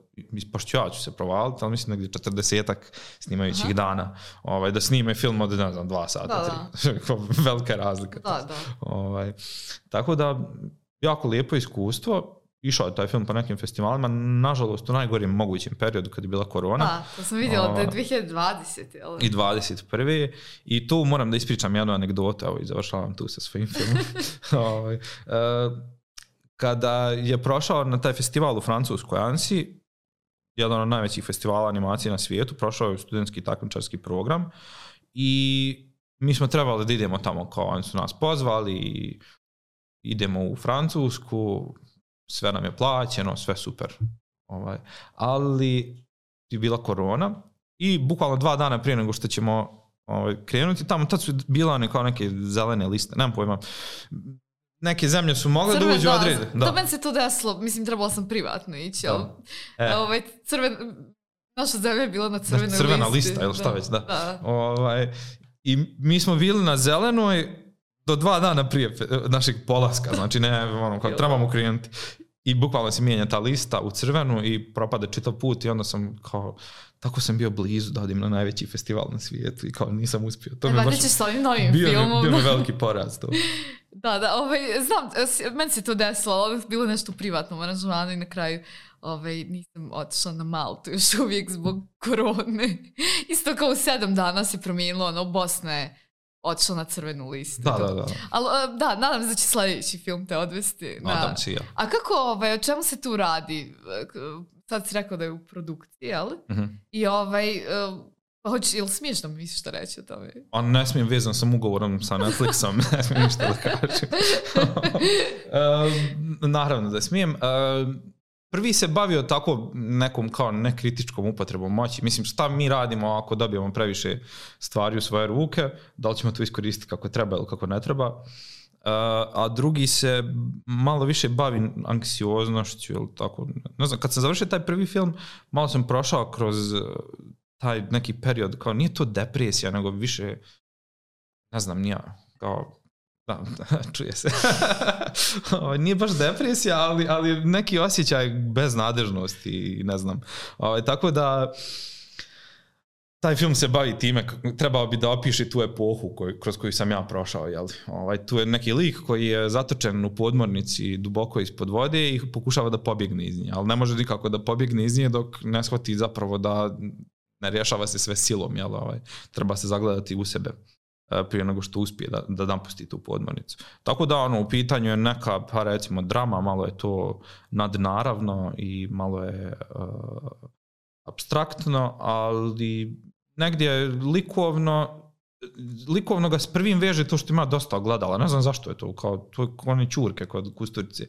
Speaker 2: pošto ja ću se provaliti, ali mislim negdje četrdesetak snimajućih Aha. dana, ovaj, da snime film od, ne znam, dva sata, da, tri. Da. Velika razlika.
Speaker 1: Da, da.
Speaker 2: Ovaj, tako da, jako lijepo iskustvo. Išao je taj film po nekim festivalima, nažalost u najgorijem mogućem periodu kad je bila korona.
Speaker 1: Da, to sam vidjela da je dvije hiljade dvadesete.
Speaker 2: I dvadeset prve. I tu moram da ispričam jednu anegdotu, evo i završavam tu sa svojim filmom. ovaj, uh, kada je prošao na taj festival u Francuskoj Annecy, jedan od najvećih festivala animacije na svijetu, prošao je studentski takmičarski program i mi smo trebali da idemo tamo, kao oni su nas pozvali i idemo u Francusku, sve nam je plaćeno, sve super. Ovaj. Ali je bila korona i bukvalno dva dana prije nego što ćemo ovaj, krenuti, tamo tad su bila one kao neke zelene liste, nemam pojma. Neke zemlje su mogle Crven, da uđu odrede. Da,
Speaker 1: to meni se to desilo, mislim trebala sam privatno ići, ali e. ovaj, crven, naša zemlja je bila na crvenoj listi.
Speaker 2: Crvena lista, ili šta da, već, da. da. Ovaj, i mi smo bili na zelenoj do dva dana prije našeg polaska, znači ne, ono, kako trebamo krenuti. I bukvalno se mijenja ta lista u crvenu i propade čitav put i onda sam kao, tako sam bio blizu da odim na najveći festival na svijetu i kao nisam uspio. To
Speaker 1: e, mi baš ćeš s ovim novim
Speaker 2: bio
Speaker 1: filmom.
Speaker 2: Mi, bio mi veliki poraz to.
Speaker 1: Da, da, ovaj, znam, meni se to desilo, ali bilo nešto u privatnom aranžmanu i na kraju ovaj, nisam otišla na Maltu još uvijek zbog korone. Isto kao u sedam dana se promijenilo, ono, Bosna je otišla na crvenu listu.
Speaker 2: Da, da, da.
Speaker 1: Ali, da, nadam se da će sljedeći film te odvesti.
Speaker 2: Nadam se ja.
Speaker 1: A kako, ovaj, o čemu se tu radi? Sad si rekao da je u produkciji, jel?
Speaker 2: Uh-huh.
Speaker 1: I ovaj, pa hoći, ili smiješ da mi misliš šta reći o tome?
Speaker 2: On ne smijem, vezan sam ugovorom sa Netflixom, ne smijem ništa da kažem. uh, naravno da smijem. Uh, Prvi se bavio tako nekom kao nekritičkom upotrebom moći. Mislim, šta mi radimo ako dobijemo previše stvari u svoje ruke, da li ćemo to iskoristiti kako treba ili kako ne treba. Uh, a drugi se malo više bavi anksioznošću ili tako. Ne znam, kad sam završio taj prvi film, malo sam prošao kroz taj neki period, kao nije to depresija, nego više, ne znam, nije kao... Da, čuje se. Nije baš depresija, ali, ali neki osjećaj beznadežnosti i ne znam. O, tako da taj film se bavi time, trebao bi da opiše tu epohu koju, kroz koju sam ja prošao. Jel? Ovaj, tu je neki lik koji je zatočen u podmornici duboko ispod vode i pokušava da pobjegne iz nje, ali ne može nikako da pobjegne iz nje dok ne shvati zapravo da ne rješava se sve silom. Jel? Ovaj, treba se zagledati u sebe prije nego što uspije da, da napusti tu podmornicu. Tako da ono, u pitanju je neka, pa recimo, drama, malo je to nadnaravno i malo je uh, apstraktno, ali negdje likovno, likovno ga s prvim veže to što ima dosta gledala. Ne znam zašto je to, kao to je one čurke kod Kusturice.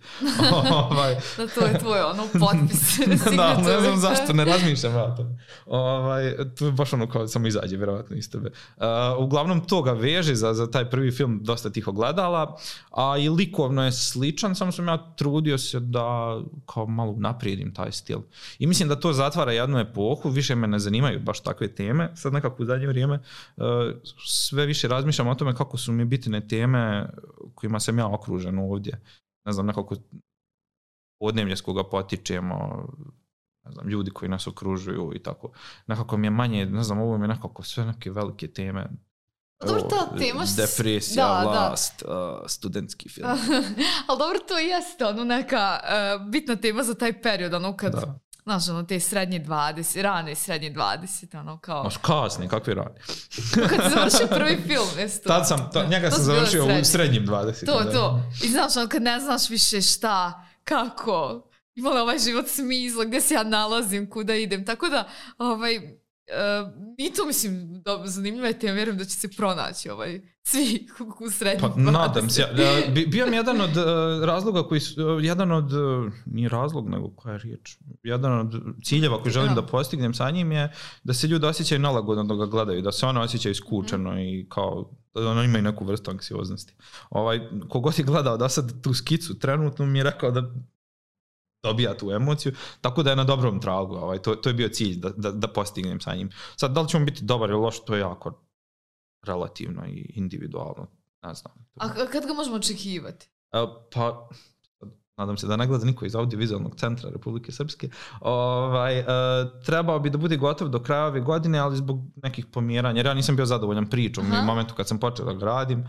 Speaker 2: ovaj.
Speaker 1: Da, to je tvoj ono potpis.
Speaker 2: Da, ne znam zašto, ne razmišljam ja to. Ovaj, to je baš ono kao samo izađe, vjerovatno iz tebe. Uh, uglavnom to ga veže za, za taj prvi film dosta tih ogledala, a i likovno je sličan, samo sam ja trudio se da kao malo naprijedim taj stil. I mislim da to zatvara jednu epohu, više me ne zanimaju baš takve teme. Sad nekako u zadnje vrijeme uh, sve više razmišljam o tome kako su mi bitne teme kojima sam ja okružen ovdje. Ne znam, nekako podneblje s koga potičemo, ne znam, ljudi koji nas okružuju i tako. Nekako mi je manje, ne znam, ovo mi je nekako sve neke velike teme.
Speaker 1: Dobro, ta tema što...
Speaker 2: Depresija, da, vlast, da. Uh, studentski film.
Speaker 1: Ali dobro, to jeste ono neka uh, bitna tema za taj period, ono kad... Da. Znaš, ono, te srednje dvadeset, rane srednje dvadeset, ono, kao...
Speaker 2: Maš kasni, kakvi rani?
Speaker 1: Kad si završio prvi film, jesu to?
Speaker 2: Tad sam, to, njega to sam završio u srednjim dvadeset.
Speaker 1: To, da. to. I znaš, ono, kad ne znaš više šta, kako, ima li ovaj život smisla, gdje se ja nalazim, kuda idem, tako da, ovaj... Uh, i to mislim da zanimljiva je tema, vjerujem da će se pronaći ovaj, svi u srednjim
Speaker 2: pa, nadam se. Ja, bio mi jedan od uh, razloga koji su, uh, jedan od, uh, nije razlog nego koja je riječ, jedan od ciljeva koji želim ja. da postignem sa njim je da se ljudi osjećaju nalagodno da ga gledaju, da se ono osjećaju skučeno mm. i kao da ono imaju neku vrstu anksioznosti. Ovaj, kogod je gledao da sad tu skicu trenutno mi je rekao da dobija tu emociju, tako da je na dobrom tragu, ovaj, to, to je bio cilj da, da, da postignem sa njim. Sad, da li ćemo biti dobar ili loš, to je jako relativno i individualno, ne znam.
Speaker 1: A kad ga možemo očekivati?
Speaker 2: Uh, pa, nadam se da ne gleda niko iz Audiovizualnog centra Republike Srpske, ovaj, uh, trebao bi da bude gotov do kraja ove godine, ali zbog nekih pomjeranja, jer ja nisam bio zadovoljan pričom u momentu kad sam počeo da ga radim,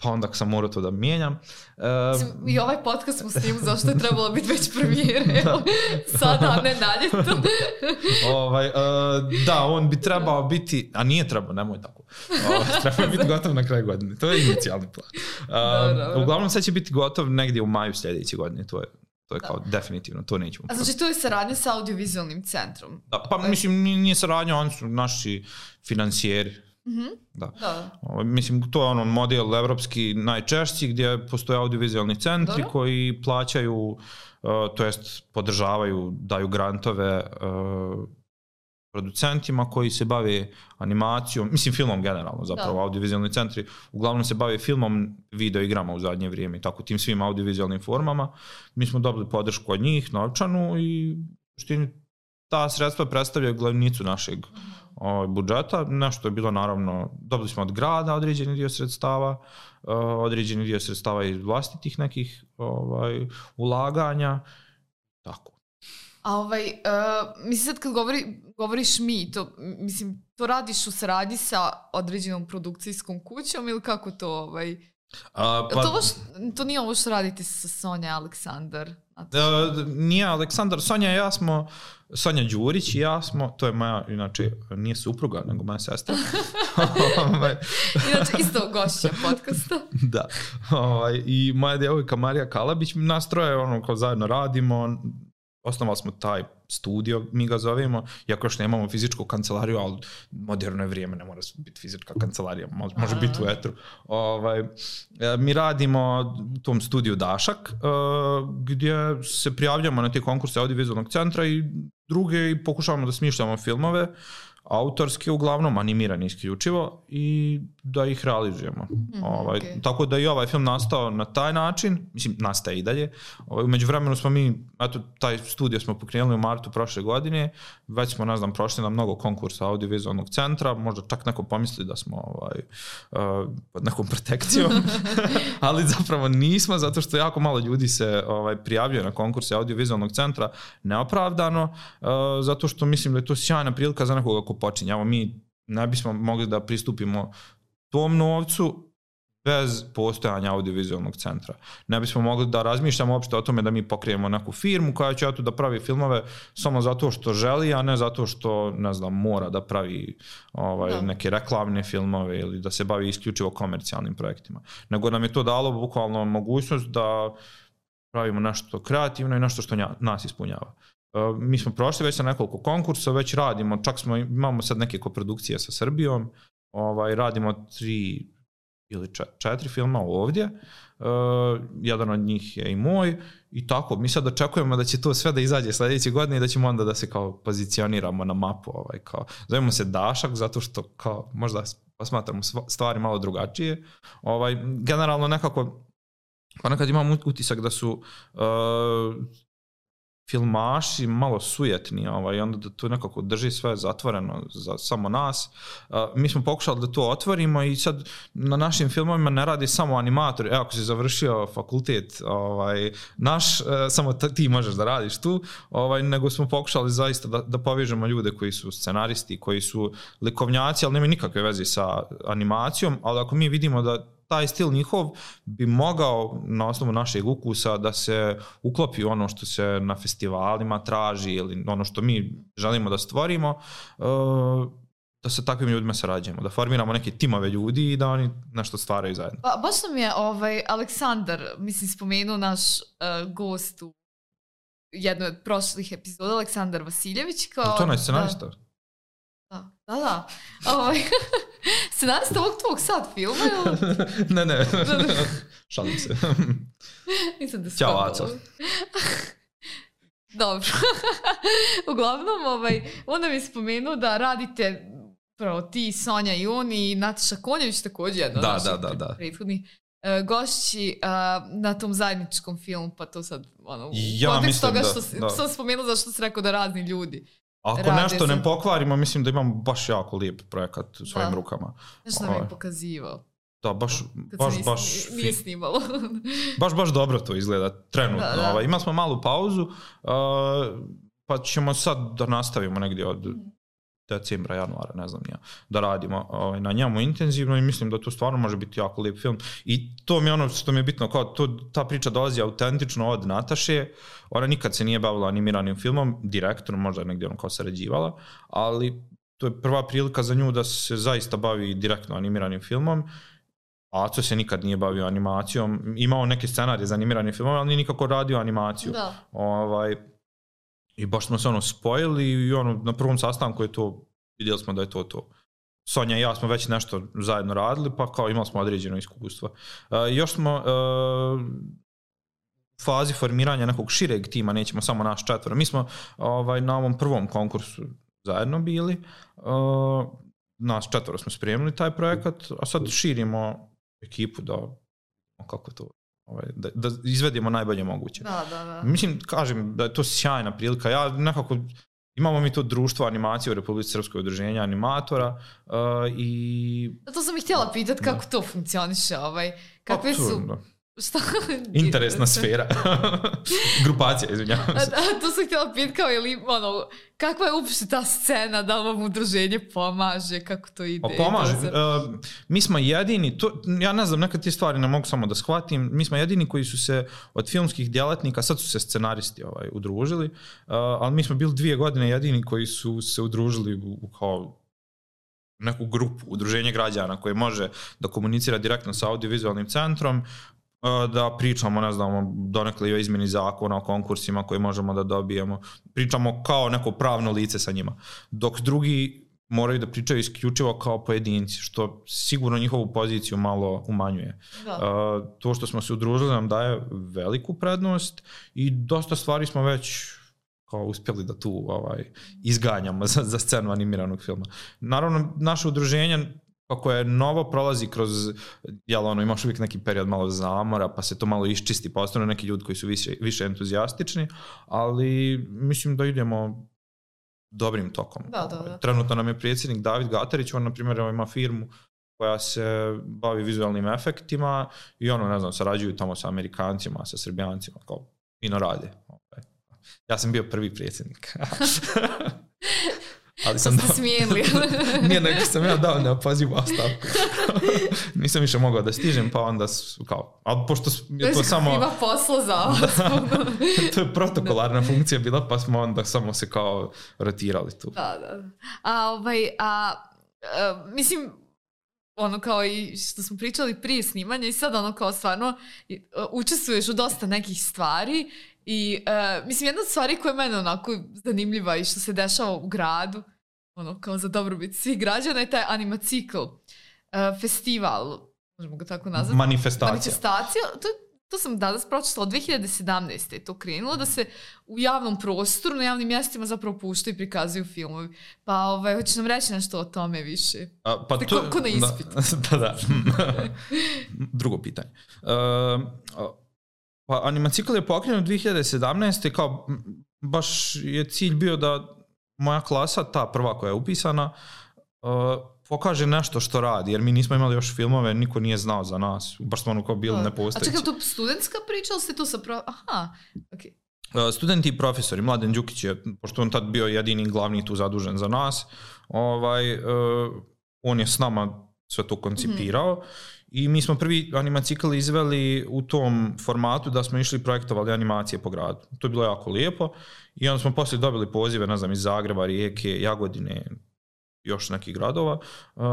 Speaker 2: pa onda sam morao to da mijenjam.
Speaker 1: Uh, I ovaj podcast smo snimili, zašto je trebalo biti već premijere, da. Sada, a ne dalje to.
Speaker 2: ovaj, uh, da, on bi trebao biti, a nije trebao, nemoj tako, uh, trebao biti gotov na kraju godine, to je inicijalni plan. Uh, da, da, uglavnom sad će biti gotov negdje u maju sljedeće godine, to je To je kao da. definitivno, to nećemo.
Speaker 1: A znači to je saradnja sa Audiovizualnim centrom?
Speaker 2: Da, pa mislim nije saradnja, oni su naši financijeri.
Speaker 1: Mm-hmm.
Speaker 2: Da.
Speaker 1: Da.
Speaker 2: O, mislim, to je ono model evropski najčešći gdje postoje audiovizualni centri Dobro. koji plaćaju, uh, to jest podržavaju, daju grantove uh, producentima koji se bave animacijom, mislim filmom generalno zapravo, da. Audiovizualni centri uglavnom se bave filmom, video igrama u zadnje vrijeme i tako tim svim audiovizualnim formama. Mi smo dobili podršku od njih, novčanu i štini ta sredstva predstavljaju glavnicu našeg ovaj, budžeta. Nešto je bilo naravno, dobili smo od grada određeni dio sredstava, uh, određeni dio sredstava iz vlastitih nekih ovaj, ulaganja, tako.
Speaker 1: A ovaj, uh, mislim sad kad govori, govoriš mi, to, mislim, to radiš u saradnji sa određenom produkcijskom kućom ili kako to ovaj...
Speaker 2: A, pa,
Speaker 1: to, ovo š, to nije ovo što radite sa Sonja Aleksandar?
Speaker 2: Uh, nije Aleksandar, Sonja i ja smo, Sonja Đurić i ja smo, to je moja, inače, nije supruga, nego moja sestra.
Speaker 1: Inače, isto gošća podcasta.
Speaker 2: Da. Ovaj, i moja djevojka Marija Kalabić, nas troje ono, kao zajedno radimo, osnovali smo taj studio, mi ga zovemo, iako još nemamo fizičku kancelariju, ali moderno je vrijeme, ne mora biti fizička kancelarija, može, može biti u etru. Ovaj, mi radimo u tom studiju Dašak, gdje se prijavljamo na te konkurse Audiovizualnog centra i druge i pokušavamo da smišljamo filmove, autorske uglavnom, animirani isključivo i da ih realizujemo. Mm, ovaj, okay. Tako da i ovaj film nastao na taj način, mislim, nastaje i dalje. Ovaj, umeđu vremenu smo mi, eto, taj studio smo pokrenuli u martu prošle godine, već smo, ne znam, prošli na mnogo konkursa Audiovizualnog centra, možda čak neko pomisli da smo ovaj, uh, pod nekom protekcijom, ali zapravo nismo, zato što jako malo ljudi se ovaj, prijavljuje na konkurse Audiovizualnog centra neopravdano, uh, zato što mislim da je to sjajna prilika za nekoga ko počinje. Evo, mi ne bismo mogli da pristupimo tom novcu bez postojanja Audiovizualnog centra. Ne bismo mogli da razmišljamo uopšte o tome da mi pokrijemo neku firmu koja će tu da pravi filmove samo zato što želi, a ne zato što, ne znam, mora da pravi ovaj, no. neke reklamne filmove ili da se bavi isključivo komercijalnim projektima. Nego nam je to dalo bukvalno mogućnost da pravimo nešto kreativno i nešto što nas ispunjava. Uh, mi smo prošli već na nekoliko konkursa, već radimo, čak smo, imamo sad neke koprodukcije sa Srbijom, ovaj, radimo tri ili četiri filma ovdje, uh, jedan od njih je i moj i tako, mi sad očekujemo da će to sve da izađe sljedeće godine i da ćemo onda da se kao pozicioniramo na mapu, ovaj, kao, zovemo se Dašak zato što kao, možda posmatramo stvari malo drugačije, ovaj, generalno nekako, ponekad imam utisak da su uh, filmaši malo sujetni, ovaj, onda da tu nekako drži sve zatvoreno za samo nas. Uh, mi smo pokušali da to otvorimo i sad na našim filmovima ne radi samo animatori. Evo, ako si završio fakultet, ovaj, naš, uh, samo ti možeš da radiš tu, ovaj, nego smo pokušali zaista da, da povežemo ljude koji su scenaristi, koji su likovnjaci, ali nemaju nikakve veze sa animacijom, ali ako mi vidimo da taj stil njihov bi mogao na osnovu našeg ukusa da se uklopi ono što se na festivalima traži ili ono što mi želimo da stvorimo, da sa takvim ljudima sarađujemo, da formiramo neke timove ljudi i da oni nešto stvaraju zajedno.
Speaker 1: Pa, baš nam je ovaj, Aleksandar, mislim, spomenuo naš uh, gost u jednoj od prošlih epizoda, Aleksandar Vasiljević. Kao,
Speaker 2: to je onaj scenarista?
Speaker 1: Da, da, da. Ovaj, scenarista ovog tvog sad filma? Ili?
Speaker 2: ne, ne, šalim se.
Speaker 1: Nisam da
Speaker 2: Ćao, Aco.
Speaker 1: Dobro. Uglavnom, ovaj, onda mi spomenuo da radite pravo ti, Sonja i on i Nataša Konjević također jedno
Speaker 2: da, da, da, da.
Speaker 1: prethodnih uh, gošći uh, na tom zajedničkom filmu, pa to sad ono,
Speaker 2: ja
Speaker 1: u kontekstu toga
Speaker 2: da,
Speaker 1: što
Speaker 2: da.
Speaker 1: sam spomenula zašto si rekao da razni ljudi.
Speaker 2: Ako nešto ne pokvarimo, mislim da imamo baš jako lijep projekat u svojim
Speaker 1: da.
Speaker 2: rukama.
Speaker 1: Nešto nam je pokazivao.
Speaker 2: Da, baš, baš,
Speaker 1: nis,
Speaker 2: baš,
Speaker 1: nije snimalo.
Speaker 2: baš, baš dobro to izgleda, trenutno.
Speaker 1: Da, da.
Speaker 2: Ovaj, imali smo malu pauzu, uh, pa ćemo sad da nastavimo negdje od decembra, januara, ne znam ja, da radimo ovaj, na njemu intenzivno i mislim da to stvarno može biti jako lijep film. I to mi je ono što mi je bitno, kao to, ta priča dolazi autentično od Nataše, ona nikad se nije bavila animiranim filmom, direktno, možda negdje ono kao sarađivala, ali to je prva prilika za nju da se zaista bavi direktno animiranim filmom. Aco se nikad nije bavio animacijom, imao neke scenarije za animiranim filmom, ali nije nikako radio animaciju.
Speaker 1: Da.
Speaker 2: Ovaj, I baš smo se ono spojili i ono, na prvom sastanku je to, vidjeli smo da je to to. Sonja i ja smo već nešto zajedno radili, pa kao imali smo određeno iskustvo. Uh, još smo uh, u fazi formiranja nekog šireg tima, nećemo samo naš četvoro. Mi smo ovaj, na ovom prvom konkursu zajedno bili, uh, nas četvoro smo spremili taj projekat, a sad širimo ekipu da, kako to, ovaj, da, da izvedemo najbolje moguće.
Speaker 1: Da, da, da.
Speaker 2: Mislim, kažem da je to sjajna prilika. Ja nekako, imamo mi to društvo animacije u Republici Srpskoj, udruženja animatora uh, i...
Speaker 1: To sam ih htjela pitati kako da. to funkcioniše, ovaj, kakve su...
Speaker 2: Da.
Speaker 1: Šta?
Speaker 2: Interesna sfera. Grupacija, izvinjavam se.
Speaker 1: Da, to sam htjela pitati kao, ili, ono, kakva je uopšte ta scena, da vam udruženje pomaže, kako to ide?
Speaker 2: Pa pomaže. Uh, mi smo jedini, to, ja ne znam, nekad te stvari ne mogu samo da shvatim, mi smo jedini koji su se od filmskih djelatnika, sad su se scenaristi ovaj, udružili, uh, ali mi smo bili dvije godine jedini koji su se udružili u, u kao neku grupu, udruženje građana koje može da komunicira direktno sa audiovizualnim centrom, da pričamo, ne znam, donekle o izmjeni zakona, o konkursima koje možemo da dobijemo. Pričamo kao neko pravno lice sa njima. Dok drugi moraju da pričaju isključivo kao pojedinci, što sigurno njihovu poziciju malo umanjuje. Da. To što smo se udružili nam daje veliku prednost i dosta stvari smo već kao uspjeli da tu ovaj, izganjamo za, za scenu animiranog filma. Naravno, naše udruženje kako je novo, prolazi kroz, jel ono, imaš uvijek neki period malo zamora, pa se to malo iščisti, pa ostane neki ljudi koji su više, više entuzijastični, ali mislim da idemo dobrim tokom.
Speaker 1: Da, da, da.
Speaker 2: Trenutno nam je predsjednik David Gatarić, on na primjer ima firmu koja se bavi vizualnim efektima i ono, ne znam, sarađuju tamo sa Amerikancima, sa Srbijancima, kao fino rade. Ja sam bio prvi predsjednik. Ali sam
Speaker 1: ste smijeli.
Speaker 2: Nije, nego sam ja dao neopazivu ostavku. Nisam više mogao da stižem, pa onda kao, ali pošto je to samo...
Speaker 1: Ima posla za vas.
Speaker 2: To je protokolarna funkcija bila, pa smo onda samo se kao rotirali tu.
Speaker 1: Da, da. A, ovaj, a, a mislim, ono kao i što smo pričali prije snimanja i sad ono kao stvarno učestvuješ u dosta nekih stvari. I uh, mislim, jedna od stvari koja je mene onako zanimljiva i što se dešava u gradu, ono kao za dobrobit svih građana, je taj animacikl uh, festival, možemo ga tako nazvati.
Speaker 2: Manifestacija.
Speaker 1: Manifestacija, to, to sam danas pročitala, od dve hiljade sedamnaeste je to krenulo, da se u javnom prostoru, na javnim mjestima zapravo puštaju i prikazuju filmovi. Pa ovaj, hoćeš nam reći nešto o tome više?
Speaker 2: A, pa
Speaker 1: Ste
Speaker 2: to,
Speaker 1: ko, ko na ispitu?
Speaker 2: Da, da. da. Drugo pitanje. Uh, Pa animacikl je pokrenut dve hiljade sedamnaeste kao baš je cilj bio da moja klasa, ta prva koja je upisana, uh, pokaže nešto što radi, jer mi nismo imali još filmove, niko nije znao za nas, baš smo ono kao bili nepostojeći.
Speaker 1: A čekaj, to studentska priča ili ste tu sa... Pro... Aha, okej.
Speaker 2: Okay. Uh, studenti i profesori, Mladen Đukić je, pošto on tad bio jedini glavni tu zadužen za nas, ovaj, uh, on je s nama sve to koncipirao. Mm-hmm. I mi smo prvi animacikl izveli u tom formatu da smo išli projektovali animacije po gradu. To je bilo jako lijepo i onda smo poslije dobili pozive, ne znam, iz Zagreba, Rijeke, Jagodine, još nekih gradova. Uh,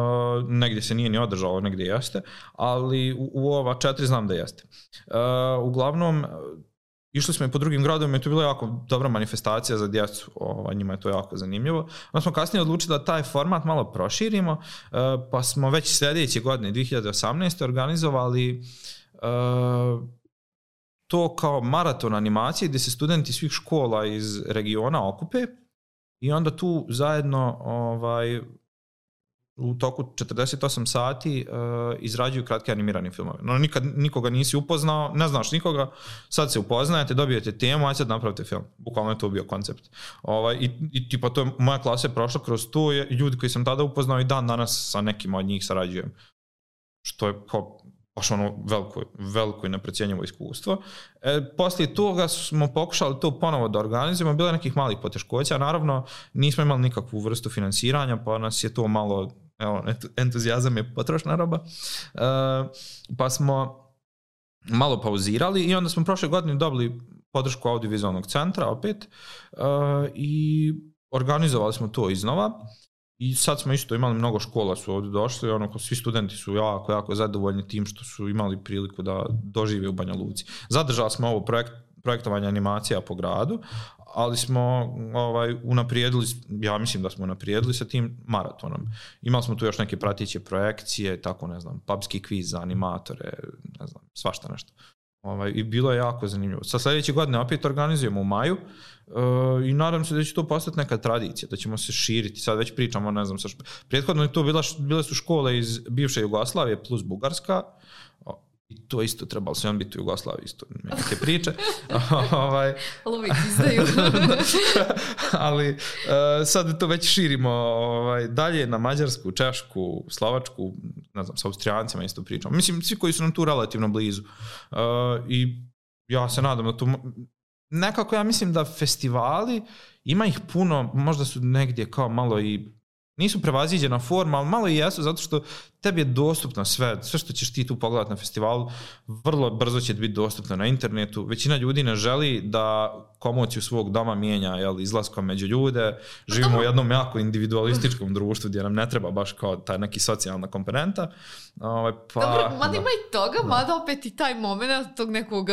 Speaker 2: negdje se nije ni održalo, negdje jeste, ali u, u ova četiri znam da jeste. Uh, uglavnom, išli smo i po drugim gradovima i to je bila jako dobra manifestacija za djecu, o, njima je to jako zanimljivo. Onda smo kasnije odlučili da taj format malo proširimo, pa smo već sljedeće godine, dve hiljade osamnaeste organizovali to kao maraton animacije gdje se studenti svih škola iz regiona okupe i onda tu zajedno ovaj, u toku četrdeset osam sati uh, izrađuju kratke animirane filmove. No, nikad nikoga nisi upoznao, ne znaš nikoga, sad se upoznajete, dobijete temu, aj sad napravite film. Bukvalno je to bio koncept. Ovaj, i, i tipa to je, moja klasa je prošla kroz to, je, ljudi koji sam tada upoznao i dan danas sa nekim od njih sarađujem. Što je kao baš ono veliko, veliko i neprecijenjivo iskustvo. E, poslije toga smo pokušali to ponovo da organizujemo, bilo je nekih malih poteškoća, naravno nismo imali nikakvu vrstu finansiranja, pa nas je to malo, evo, entuzijazam je potrošna roba, e, pa smo malo pauzirali i onda smo prošle godine dobili podršku audiovizualnog centra opet e, i organizovali smo to iznova. I sad smo isto imali mnogo škola su ovdje došli, ono, svi studenti su jako, jako zadovoljni tim što su imali priliku da dožive u Banja Luci. Zadržali smo ovo projekt, projektovanje animacija po gradu, ali smo ovaj, unaprijedili, ja mislim da smo unaprijedili sa tim maratonom. Imali smo tu još neke pratiće projekcije, tako ne znam, pubski kviz za animatore, ne znam, svašta nešto. Ovaj, i bilo je jako zanimljivo. Sa sljedeće godine opet organizujemo u maju uh, i nadam se da će to postati neka tradicija, da ćemo se širiti. Sad već pričamo, ne znam, sa šp... prethodno je to bila, bile su škole iz bivše Jugoslavije plus Bugarska, o, i to isto trebalo se on biti u Jugoslaviji, isto neke priče. ovaj,
Speaker 1: ali uvijek izdaju.
Speaker 2: ali uh, sad to već širimo ovaj, dalje na Mađarsku, Češku, Slovačku, ne znam, sa Austrijancima isto pričamo. Mislim, svi koji su nam tu relativno blizu. Uh, I ja se nadam da to... Nekako ja mislim da festivali, ima ih puno, možda su negdje kao malo i... Nisu prevaziđena forma, ali malo i jesu, zato što tebi je dostupno sve, sve što ćeš ti tu pogledati na festivalu, vrlo brzo će biti dostupno na internetu. Većina ljudi ne želi da komociju svog doma mijenja, jel, izlaskom među ljude. Živimo u jednom jako individualističkom društvu gdje nam ne treba baš kao taj neki socijalna komponenta. Ovaj, pa,
Speaker 1: dobro, mada ima i toga, da. Mada opet i taj moment tog nekog...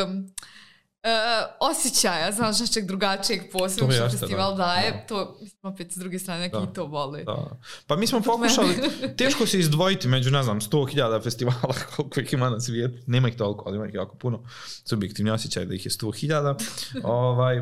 Speaker 1: Uh, osjećaja, znaš, našeg drugačijeg posebno što festival da. daje, da. To mislim opet s druge strane neki da. to vole.
Speaker 2: Da. Pa mi smo pokušali, teško se izdvojiti među, ne znam, sto hiljada festivala koliko ih ima na svijetu, nema ih toliko, ali ima ih jako puno, subjektivni osjećaj da ih je sto hiljada. ovaj,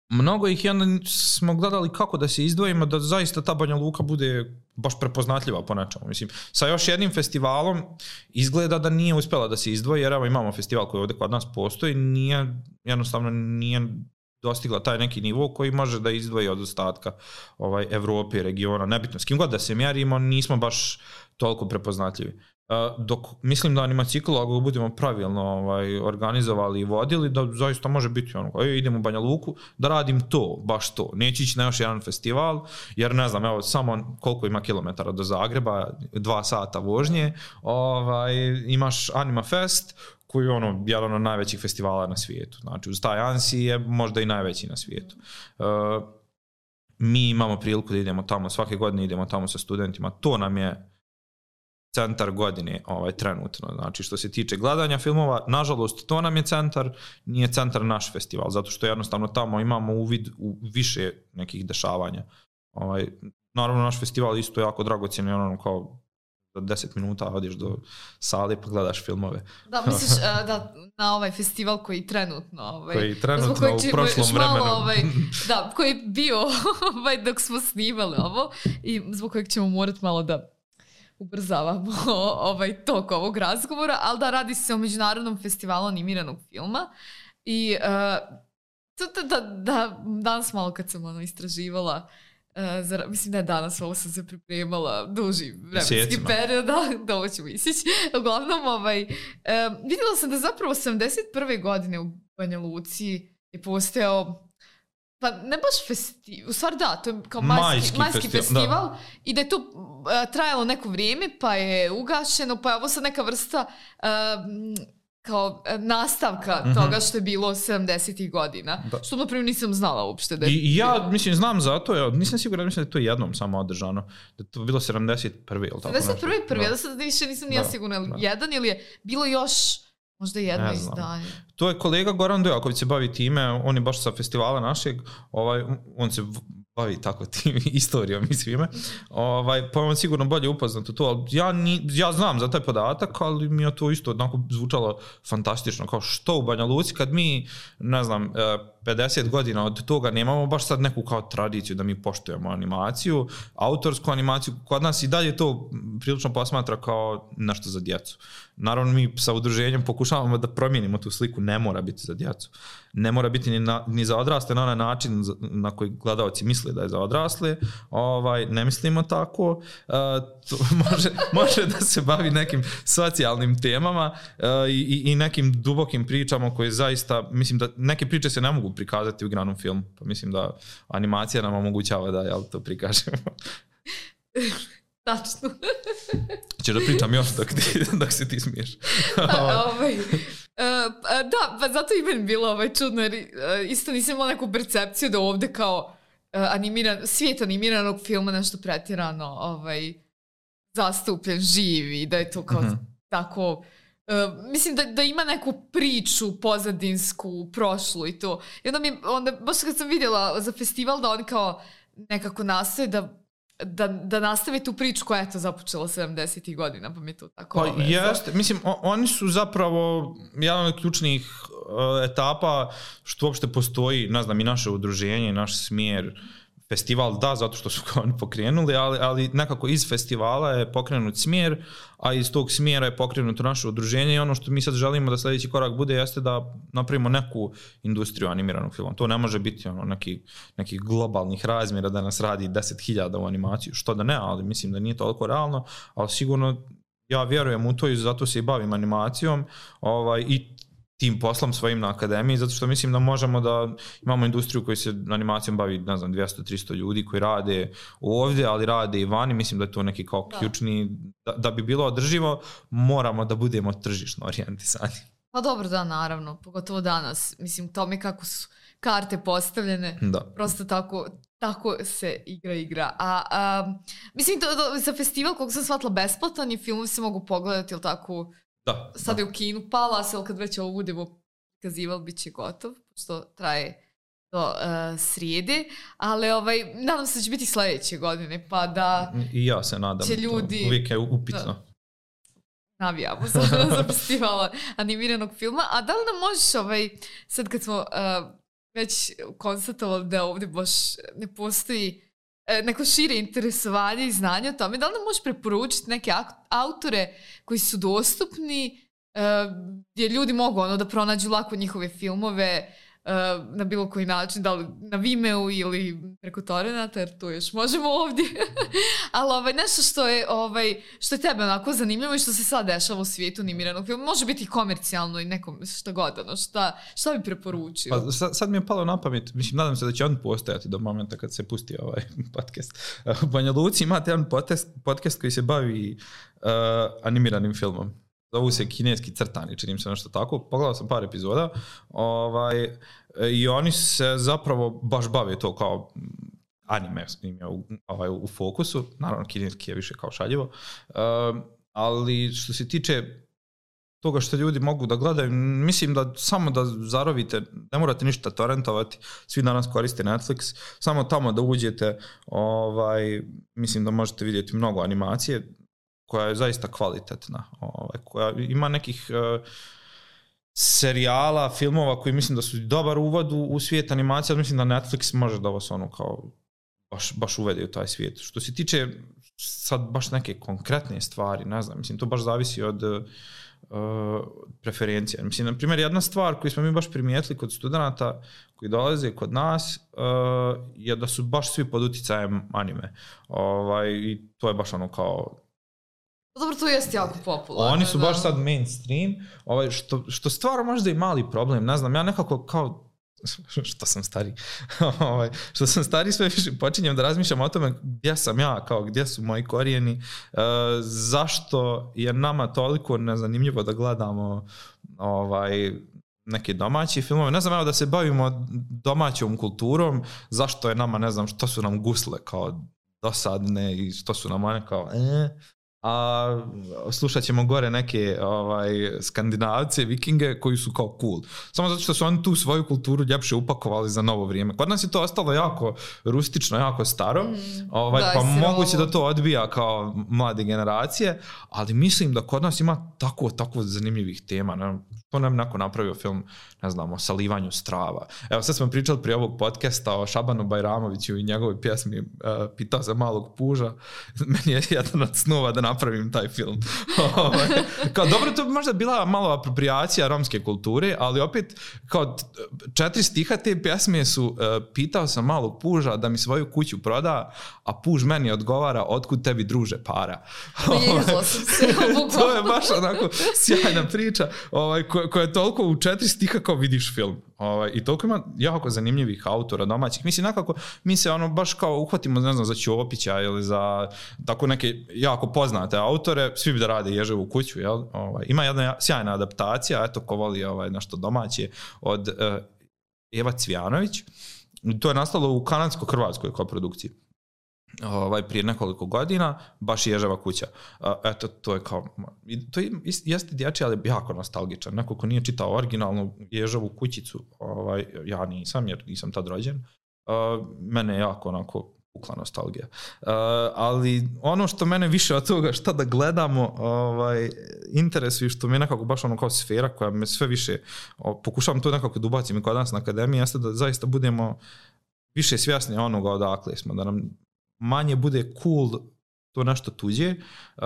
Speaker 2: mnogo ih i onda smo gledali kako da se izdvojimo, da zaista ta Banja Luka bude baš prepoznatljiva po nečemu. Mislim, sa još jednim festivalom izgleda da nije uspjela da se izdvoji, jer evo imamo festival koji ovdje kod nas postoji, nije, jednostavno nije dostigla taj neki nivo koji može da izdvoji od ostatka ovaj, Evrope i regiona. Nebitno, s kim god da se mjerimo, nismo baš toliko prepoznatljivi. Uh, dok mislim da animacikl, ako budemo pravilno ovaj, organizovali i vodili, da zaista može biti ono, ej, idem u Banja Luku da radim to, baš to. Neće ići na još jedan festival, jer ne znam, evo, samo koliko ima kilometara do Zagreba, dva sata vožnje, ovaj, imaš Anima Fest, koji je ono, jedan od najvećih festivala na svijetu. Znači, uz taj Ansi je možda i najveći na svijetu. Uh, mi imamo priliku da idemo tamo, svake godine idemo tamo sa studentima, to nam je centar godine ovaj, trenutno. Znači, što se tiče gledanja filmova, nažalost, to nam je centar, nije centar naš festival, zato što jednostavno tamo imamo uvid u više nekih dešavanja. Ovaj, naravno, naš festival isto jako dragocjen, ono kao za deset minuta odiš do sale pa gledaš filmove.
Speaker 1: Da, misliš uh, da na ovaj festival koji trenutno... Ovaj,
Speaker 2: koji trenutno koji u prošlom vremenu.
Speaker 1: Ovaj, da, koji je bio ovaj, dok smo snimali ovo i zbog kojeg ćemo morati malo da ubrzavamo ovaj tok ovog razgovora, ali da, radi se o Međunarodnom festivalu animiranog filma i uh, to, da, da, da, danas malo kad sam ono istraživala, uh, za, mislim da je danas ovo sam se pripremala duži vremenski period, da, da ovo ću mislići. Uglavnom, ovaj, uh, vidjela sam da zapravo sedamdeset prve godine u Banja Luci je postojao, pa ne baš festival, u stvari da, to je kao majski, majski, majski festival, festival i da je to uh, trajalo neko vrijeme, pa je ugašeno, pa je ovo sad neka vrsta uh, kao nastavka mm-hmm. toga što je bilo sedamdesetih godina. Da. Što na primjer nisam znala uopšte da je...
Speaker 2: I, ja, mislim, znam zato, ja nisam siguran, mislim da je to jednom samo održano, da je to bilo sedamdeset prve ili tako
Speaker 1: sedamdeset prve prve, da sad više nisam ja sigurna, da. jedan ili je bilo još... Možda jedno izdanje.
Speaker 2: To je kolega Goran Dojaković se bavi time, on je baš sa festivala našeg, ovaj, on se bavi tako tim istorijom i svime, ovaj, pa vam sigurno bolje upoznat u to, ali ja, ni, ja znam za taj podatak, ali mi je to isto onako zvučalo fantastično, kao što u Banja Luci, kad mi, ne znam, pedeset godina od toga nemamo baš sad neku kao tradiciju da mi poštujemo animaciju, autorsku animaciju, kod nas i dalje to prilično posmatra kao nešto za djecu. Naravno, mi sa udruženjem pokušavamo da promijenimo tu sliku, ne mora biti za djecu. Ne mora biti ni, na, ni za odrasle na onaj način na koji gledalci misle da je za odrasle. Ovaj, ne mislimo tako. Uh, to može, može da se bavi nekim socijalnim temama uh, i, i nekim dubokim pričama koje zaista, mislim da neke priče se ne mogu prikazati u igranom filmu. Pa mislim da animacija nam omogućava da jel, to prikažemo.
Speaker 1: Tačno.
Speaker 2: Ćeš da pričam još dok, ti, dok se ti smiješ.
Speaker 1: Da, ovaj, uh, da, pa zato i meni bilo ovaj čudno, jer uh, isto nisam imala neku percepciju da ovde kao uh, animiran, svijet animiranog filma nešto pretjerano ovaj, zastupljen, živi, da je to kao mm-hmm. tako... Uh, mislim da, da ima neku priču pozadinsku, prošlu i to. I onda mi, onda, baš kad sam vidjela za festival da oni kao nekako nastoje da Da, da nastave tu priču koja je to započela sedamdesetih godina, pa mi je to tako...
Speaker 2: Pa ove, jeste, to... mislim, o, oni su zapravo jedan od ključnih uh, etapa što uopšte postoji, ne znam, i naše udruženje, naš smjer, festival, da, zato što su kao oni pokrenuli, ali, ali nekako iz festivala je pokrenut smjer, a iz tog smjera je pokrenuto naše udruženje i ono što mi sad želimo da sljedeći korak bude jeste da napravimo neku industriju animiranog filma. To ne može biti ono neki, nekih globalnih razmjera da nas radi deset hiljada u animaciju, što da ne, ali mislim da nije toliko realno, ali sigurno ja vjerujem u to i zato se i bavim animacijom ovaj, i tim poslom svojim na akademiji, zato što mislim da možemo da imamo industriju koja se animacijom bavi, ne znam, dvjesto do tristo ljudi koji rade ovdje, ali rade i vani, mislim da je to neki kao ključni, da, da bi bilo održivo, moramo da budemo tržišno orijentisani.
Speaker 1: Pa dobro, da, naravno, pogotovo danas, mislim, to mi kako su karte postavljene, da. Prosto tako, tako se igra igra. A, a mislim, to, to, za festival, koliko sam shvatila, besplatan i filmovi se mogu pogledati, ili tako...
Speaker 2: Da,
Speaker 1: sad
Speaker 2: da.
Speaker 1: je u kinu Palas, ali kad već ovo budemo prikazivali, bit će gotov, što traje do uh, srijede, ali ovaj, nadam se da će biti sljedeće godine, pa da
Speaker 2: i ja se nadam,
Speaker 1: će ljudi...
Speaker 2: To uvijek je upitno.
Speaker 1: Da, navijamo sad za festivala animiranog filma, a da li nam možeš, ovaj, sad kad smo uh, već konstatovali da ovdje baš ne postoji neko šire interesovanje i znanje o tome, da li nam možeš preporučiti neke autore koji su dostupni, gdje ljudi mogu ono da pronađu lako njihove filmove na bilo koji način, da li na Vimeo ili preko Torrenta, jer to još možemo ovdje. Ali ovaj, nešto što je, ovaj, što je tebe onako zanimljivo i što se sad dešava u svijetu animiranog filma, može biti i komercijalno i nekom šta god, ono, šta, šta bi preporučio?
Speaker 2: Pa sad, sad mi je palo na pamet, mislim, nadam se da će on postojati do momenta kad se pusti ovaj podcast. U Banja Luci imate jedan podcast, podcast koji se bavi uh, animiranim filmom. Zovu se Kineski crtani, činim se nešto tako. Pogledao sam par epizoda ovaj, i oni se zapravo baš bave to kao anime im je u, ovaj, u fokusu. Naravno, kineski je više kao šaljivo. Um, ali što se tiče toga što ljudi mogu da gledaju, mislim da samo da zarovite, ne morate ništa torrentovati, svi danas koriste Netflix, samo tamo da uđete, ovaj, mislim da možete vidjeti mnogo animacije, koja je zaista kvalitetna, ovaj, koja ima nekih uh, serijala, filmova koji mislim da su dobar uvod u, u svijet animacije, ali mislim da Netflix može da vas ono kao baš, baš uvede u taj svijet. Što se tiče sad baš neke konkretne stvari, ne znam, mislim to baš zavisi od uh, preferencija. Mislim, na primjer, jedna stvar koju smo mi baš primijetili kod studenata koji dolaze kod nas uh, je da su baš svi pod uticajem anime. Ovaj, i to je baš ono kao
Speaker 1: dobro, to jest jako popularno.
Speaker 2: Oni su baš sad mainstream, ovaj, što, što stvara možda i mali problem, ne znam, ja nekako kao, što sam stari, ovaj, što sam stari sve više počinjem da razmišljam o tome gdje sam ja, kao gdje su moji korijeni, uh, zašto je nama toliko nezanimljivo da gledamo ovaj, neke domaće filmove, ne znam, evo da se bavimo domaćom kulturom, zašto je nama, ne znam, što su nam gusle kao dosadne i što su nam one kao, eh, a slušat ćemo gore neke ovaj, Skandinavce, Vikinge koji su kao cool. Samo zato što su oni tu svoju kulturu ljepše upakovali za novo vrijeme. Kod nas je to ostalo jako rustično, jako staro, mm, ovaj, pa moguće da to odbija kao mlade generacije, ali mislim da kod nas ima tako, tako zanimljivih tema. Ne? To nam neko napravio film, ne znam, o salivanju strava. Evo, sad smo pričali prije ovog podcasta o Šabanu Bajramoviću i njegovoj pjesmi uh, Pitao sam malog puža. Meni je jedan od snova da napravim taj film. Kao, dobro, to bi možda bila malo apropriacija romske kulture, ali opet, kao četiri stiha te pjesme su uh, Pitao sam malog puža da mi svoju kuću proda, a puž meni odgovara otkud tebi druže para. To je baš onako sjajna priča ovaj, koja, koja je toliko u četiri stiha kao vidiš film. Ovaj, I toliko ima jako zanimljivih autora domaćih. Mislim, nekako mi se ono baš kao uhvatimo, ne znam, za Ćopića ili za tako neke jako poznate autore, svi bi da rade Ježevu kuću, jel? Ovaj, ima jedna sjajna adaptacija, eto ko voli ovaj, nešto domaće, od uh, Eva Cvjanović. To je nastalo u kanadsko-hrvatskoj koprodukciji. Ovaj, prije nekoliko godina, baš Ježeva kuća. Uh, eto, to je kao, to je, jeste dječji, ali jako nostalgičan. Neko ko nije čitao originalnu Ježevu kućicu, ovaj, ja nisam, jer nisam tad rođen, uh, mene je jako onako pukla nostalgija. Uh, ali ono što mene više od toga šta da gledamo ovaj, interesuje, što mi je nekako baš ono kao sfera koja me sve više, o, pokušavam to nekako da ubacim i kod nas na akademiji, jeste da zaista budemo više svjesni onoga odakle smo, da nam manje bude cool to nešto tuđe uh,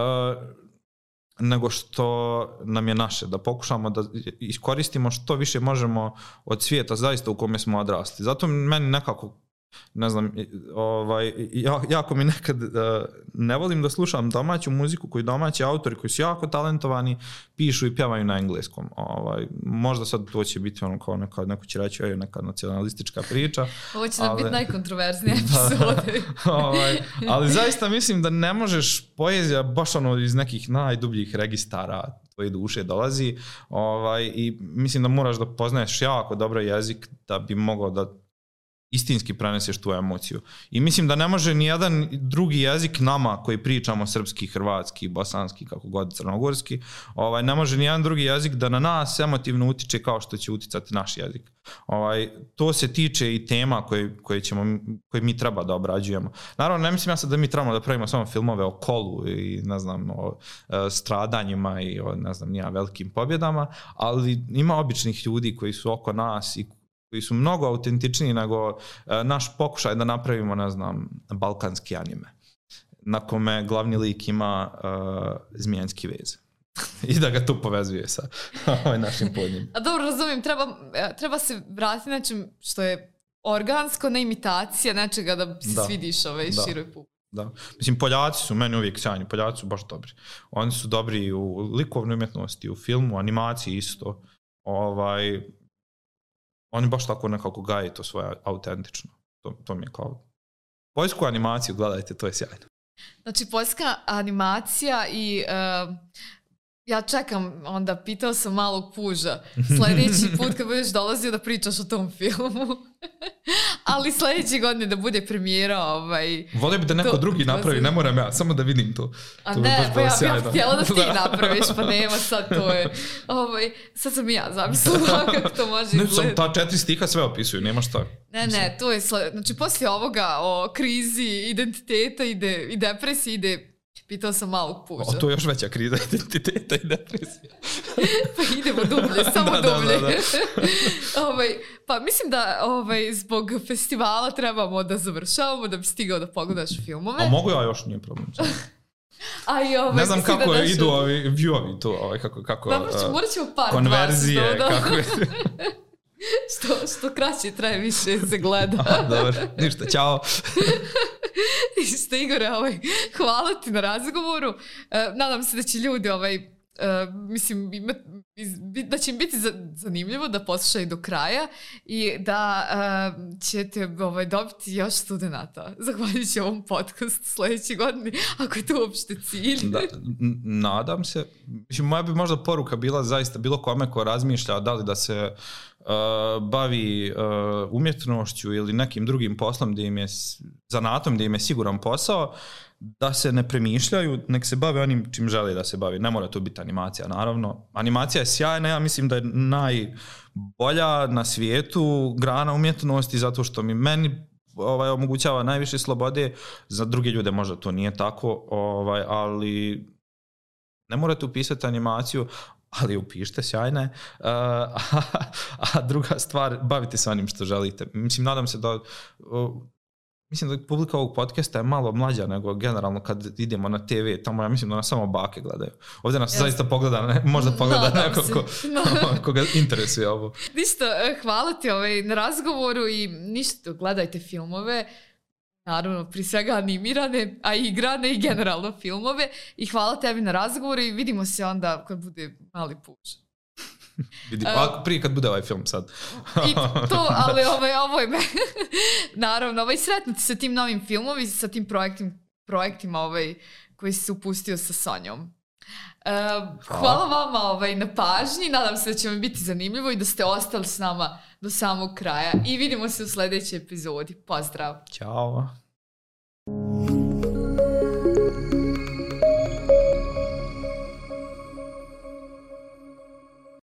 Speaker 2: nego što nam je naše, da pokušamo da iskoristimo što više možemo od svijeta zaista u kome smo odrasli. Zato meni nekako, ne znam, ovaj, jako mi nekad uh, ne volim da slušam domaću muziku koji domaći autori koji su jako talentovani pišu i pjevaju na engleskom. Ovaj, možda sad to će biti ono kao neka, neko će reći je neka nacionalistička priča.
Speaker 1: Ovo će nam biti najkontroverznija epizoda.
Speaker 2: ovaj, ali zaista mislim da ne možeš, poezija baš ono iz nekih najdubljih registara tvoje duše dolazi, ovaj, i mislim da moraš da poznaješ jako dobro jezik da bi mogao da istinski preneseš tu emociju. I mislim da ne može ni jedan drugi jezik nama koji pričamo srpski, hrvatski, bosanski, kako god, crnogorski, ovaj, ne može ni jedan drugi jezik da na nas emotivno utiče kao što će uticati naš jezik. Ovaj, to se tiče i tema koje, koje, ćemo, koje mi treba da obrađujemo. Naravno, ne mislim ja sad da mi trebamo da pravimo samo filmove o kolu i ne znam, o e, stradanjima i o ne znam, nija velikim pobjedama, ali ima običnih ljudi koji su oko nas i koji su mnogo autentičniji nego uh, naš pokušaj da napravimo, ne znam, balkanski anime, na kome glavni lik ima uh, zmijenski vez. I da ga tu povezuje sa ovaj našim podnjim.
Speaker 1: A dobro, razumijem, treba, treba se vratiti nečem što je organsko, ne imitacija nečega da se da. svidiš ovaj da. široj publici.
Speaker 2: Da. Mislim, Poljaci su meni uvijek sjajni, Poljaci su baš dobri. Oni su dobri u likovnoj umjetnosti, u filmu, animaciji isto. Ovaj... Oni baš tako nekako gaje to svoje autentično. To, to mi je kao... Poljsku animaciju, gledajte, to je sjajno.
Speaker 1: Znači, poljska animacija i... Uh, ja čekam, onda pitao sam malog puža. Sljedeći put kad budeš dolazio da pričaš o tom filmu. Ali sljedeći godine da bude premijera... Ovaj,
Speaker 2: volio bi da neko to, drugi napravi, ne moram ja, samo da vidim to.
Speaker 1: A
Speaker 2: to
Speaker 1: ne, pa ja bih ja htjela da ti napraviš, pa nema sad to je... Ovaj, sad sam i ja zamislila kako to može izgledati.
Speaker 2: Ne, ta četiri stiha sve opisuju, nema šta.
Speaker 1: Ne, ne, to je... Znači, poslije ovoga o krizi identiteta ide, i depresiji ide... Pitao sam malog puža.
Speaker 2: O, to je još veća kriza identiteta i depresija.
Speaker 1: Pa idemo dublje, samo da, dublje. Da, da, da. ovaj, pa mislim da ovaj, zbog festivala trebamo da završavamo, da bi stigao da pogledaš filmove.
Speaker 2: A mogu ja još, nije problem.
Speaker 1: A i ovaj,
Speaker 2: ne znam kako
Speaker 1: da
Speaker 2: našu... idu ovi view-ovi tu, ovaj, kako, kako
Speaker 1: da, morat, morat ćemo par
Speaker 2: konverzije,
Speaker 1: dva,
Speaker 2: kako je...
Speaker 1: što, što kraće traje, više se gleda.
Speaker 2: Aha, dobro, ništa, čao.
Speaker 1: Isto, Igore, ovaj, hvala ti na razgovoru. E, nadam se da će ljudi, ovaj, e, mislim, ima, da će im biti zanimljivo da poslušaju do kraja i da e, ćete ovaj, dobiti još studenata. Zahvaljujući ovom podcastu sljedeće godine, ako je to uopšte cilj.
Speaker 2: Da, nadam se. Mislim, moja bi možda poruka bila zaista bilo kome ko razmišlja da li da se Uh, bavi uh, umjetnošću ili nekim drugim poslom gdje im je zanatom, gdje im je siguran posao, da se ne premišljaju, nek se bave onim čim žele da se bavi. Ne mora to biti animacija, naravno. Animacija je sjajna, ja mislim da je najbolja na svijetu grana umjetnosti zato što mi meni ovaj, omogućava najviše slobode, za druge ljude možda to nije tako, ovaj, ali ne morate upisati animaciju, ali upišite, sjajne. Uh, a, a druga stvar, bavite se onim što želite. Mislim, nadam se da... Uh, Mislim da publika ovog podcasta je malo mlađa nego generalno kad idemo na te ve, tamo ja mislim da nas samo bake gledaju. Ovdje nas yes. zaista pogleda, ne, možda pogleda no, neko ko, no. koga interesuje ovo.
Speaker 1: Ništa, hvala ti ovaj, na razgovoru i ništa, gledajte filmove, naravno pri svega animirane, a i igrane i generalno filmove i hvala tebi na razgovoru i vidimo se onda kad bude mali puš.
Speaker 2: Vidi, uh, prije kad bude ovaj film sad.
Speaker 1: I to, ali ovaj, ovo je me. Naravno, ovaj, sretnuti sa tim novim filmovi, sa tim projektim, projektima ovaj, koji si se upustio sa Sonjom. Uh, hvala vama ovaj, na pažnji, nadam se da će vam biti zanimljivo i da ste ostali s nama do samog kraja i vidimo se u sljedećoj epizodi. Pozdrav!
Speaker 2: Ćao!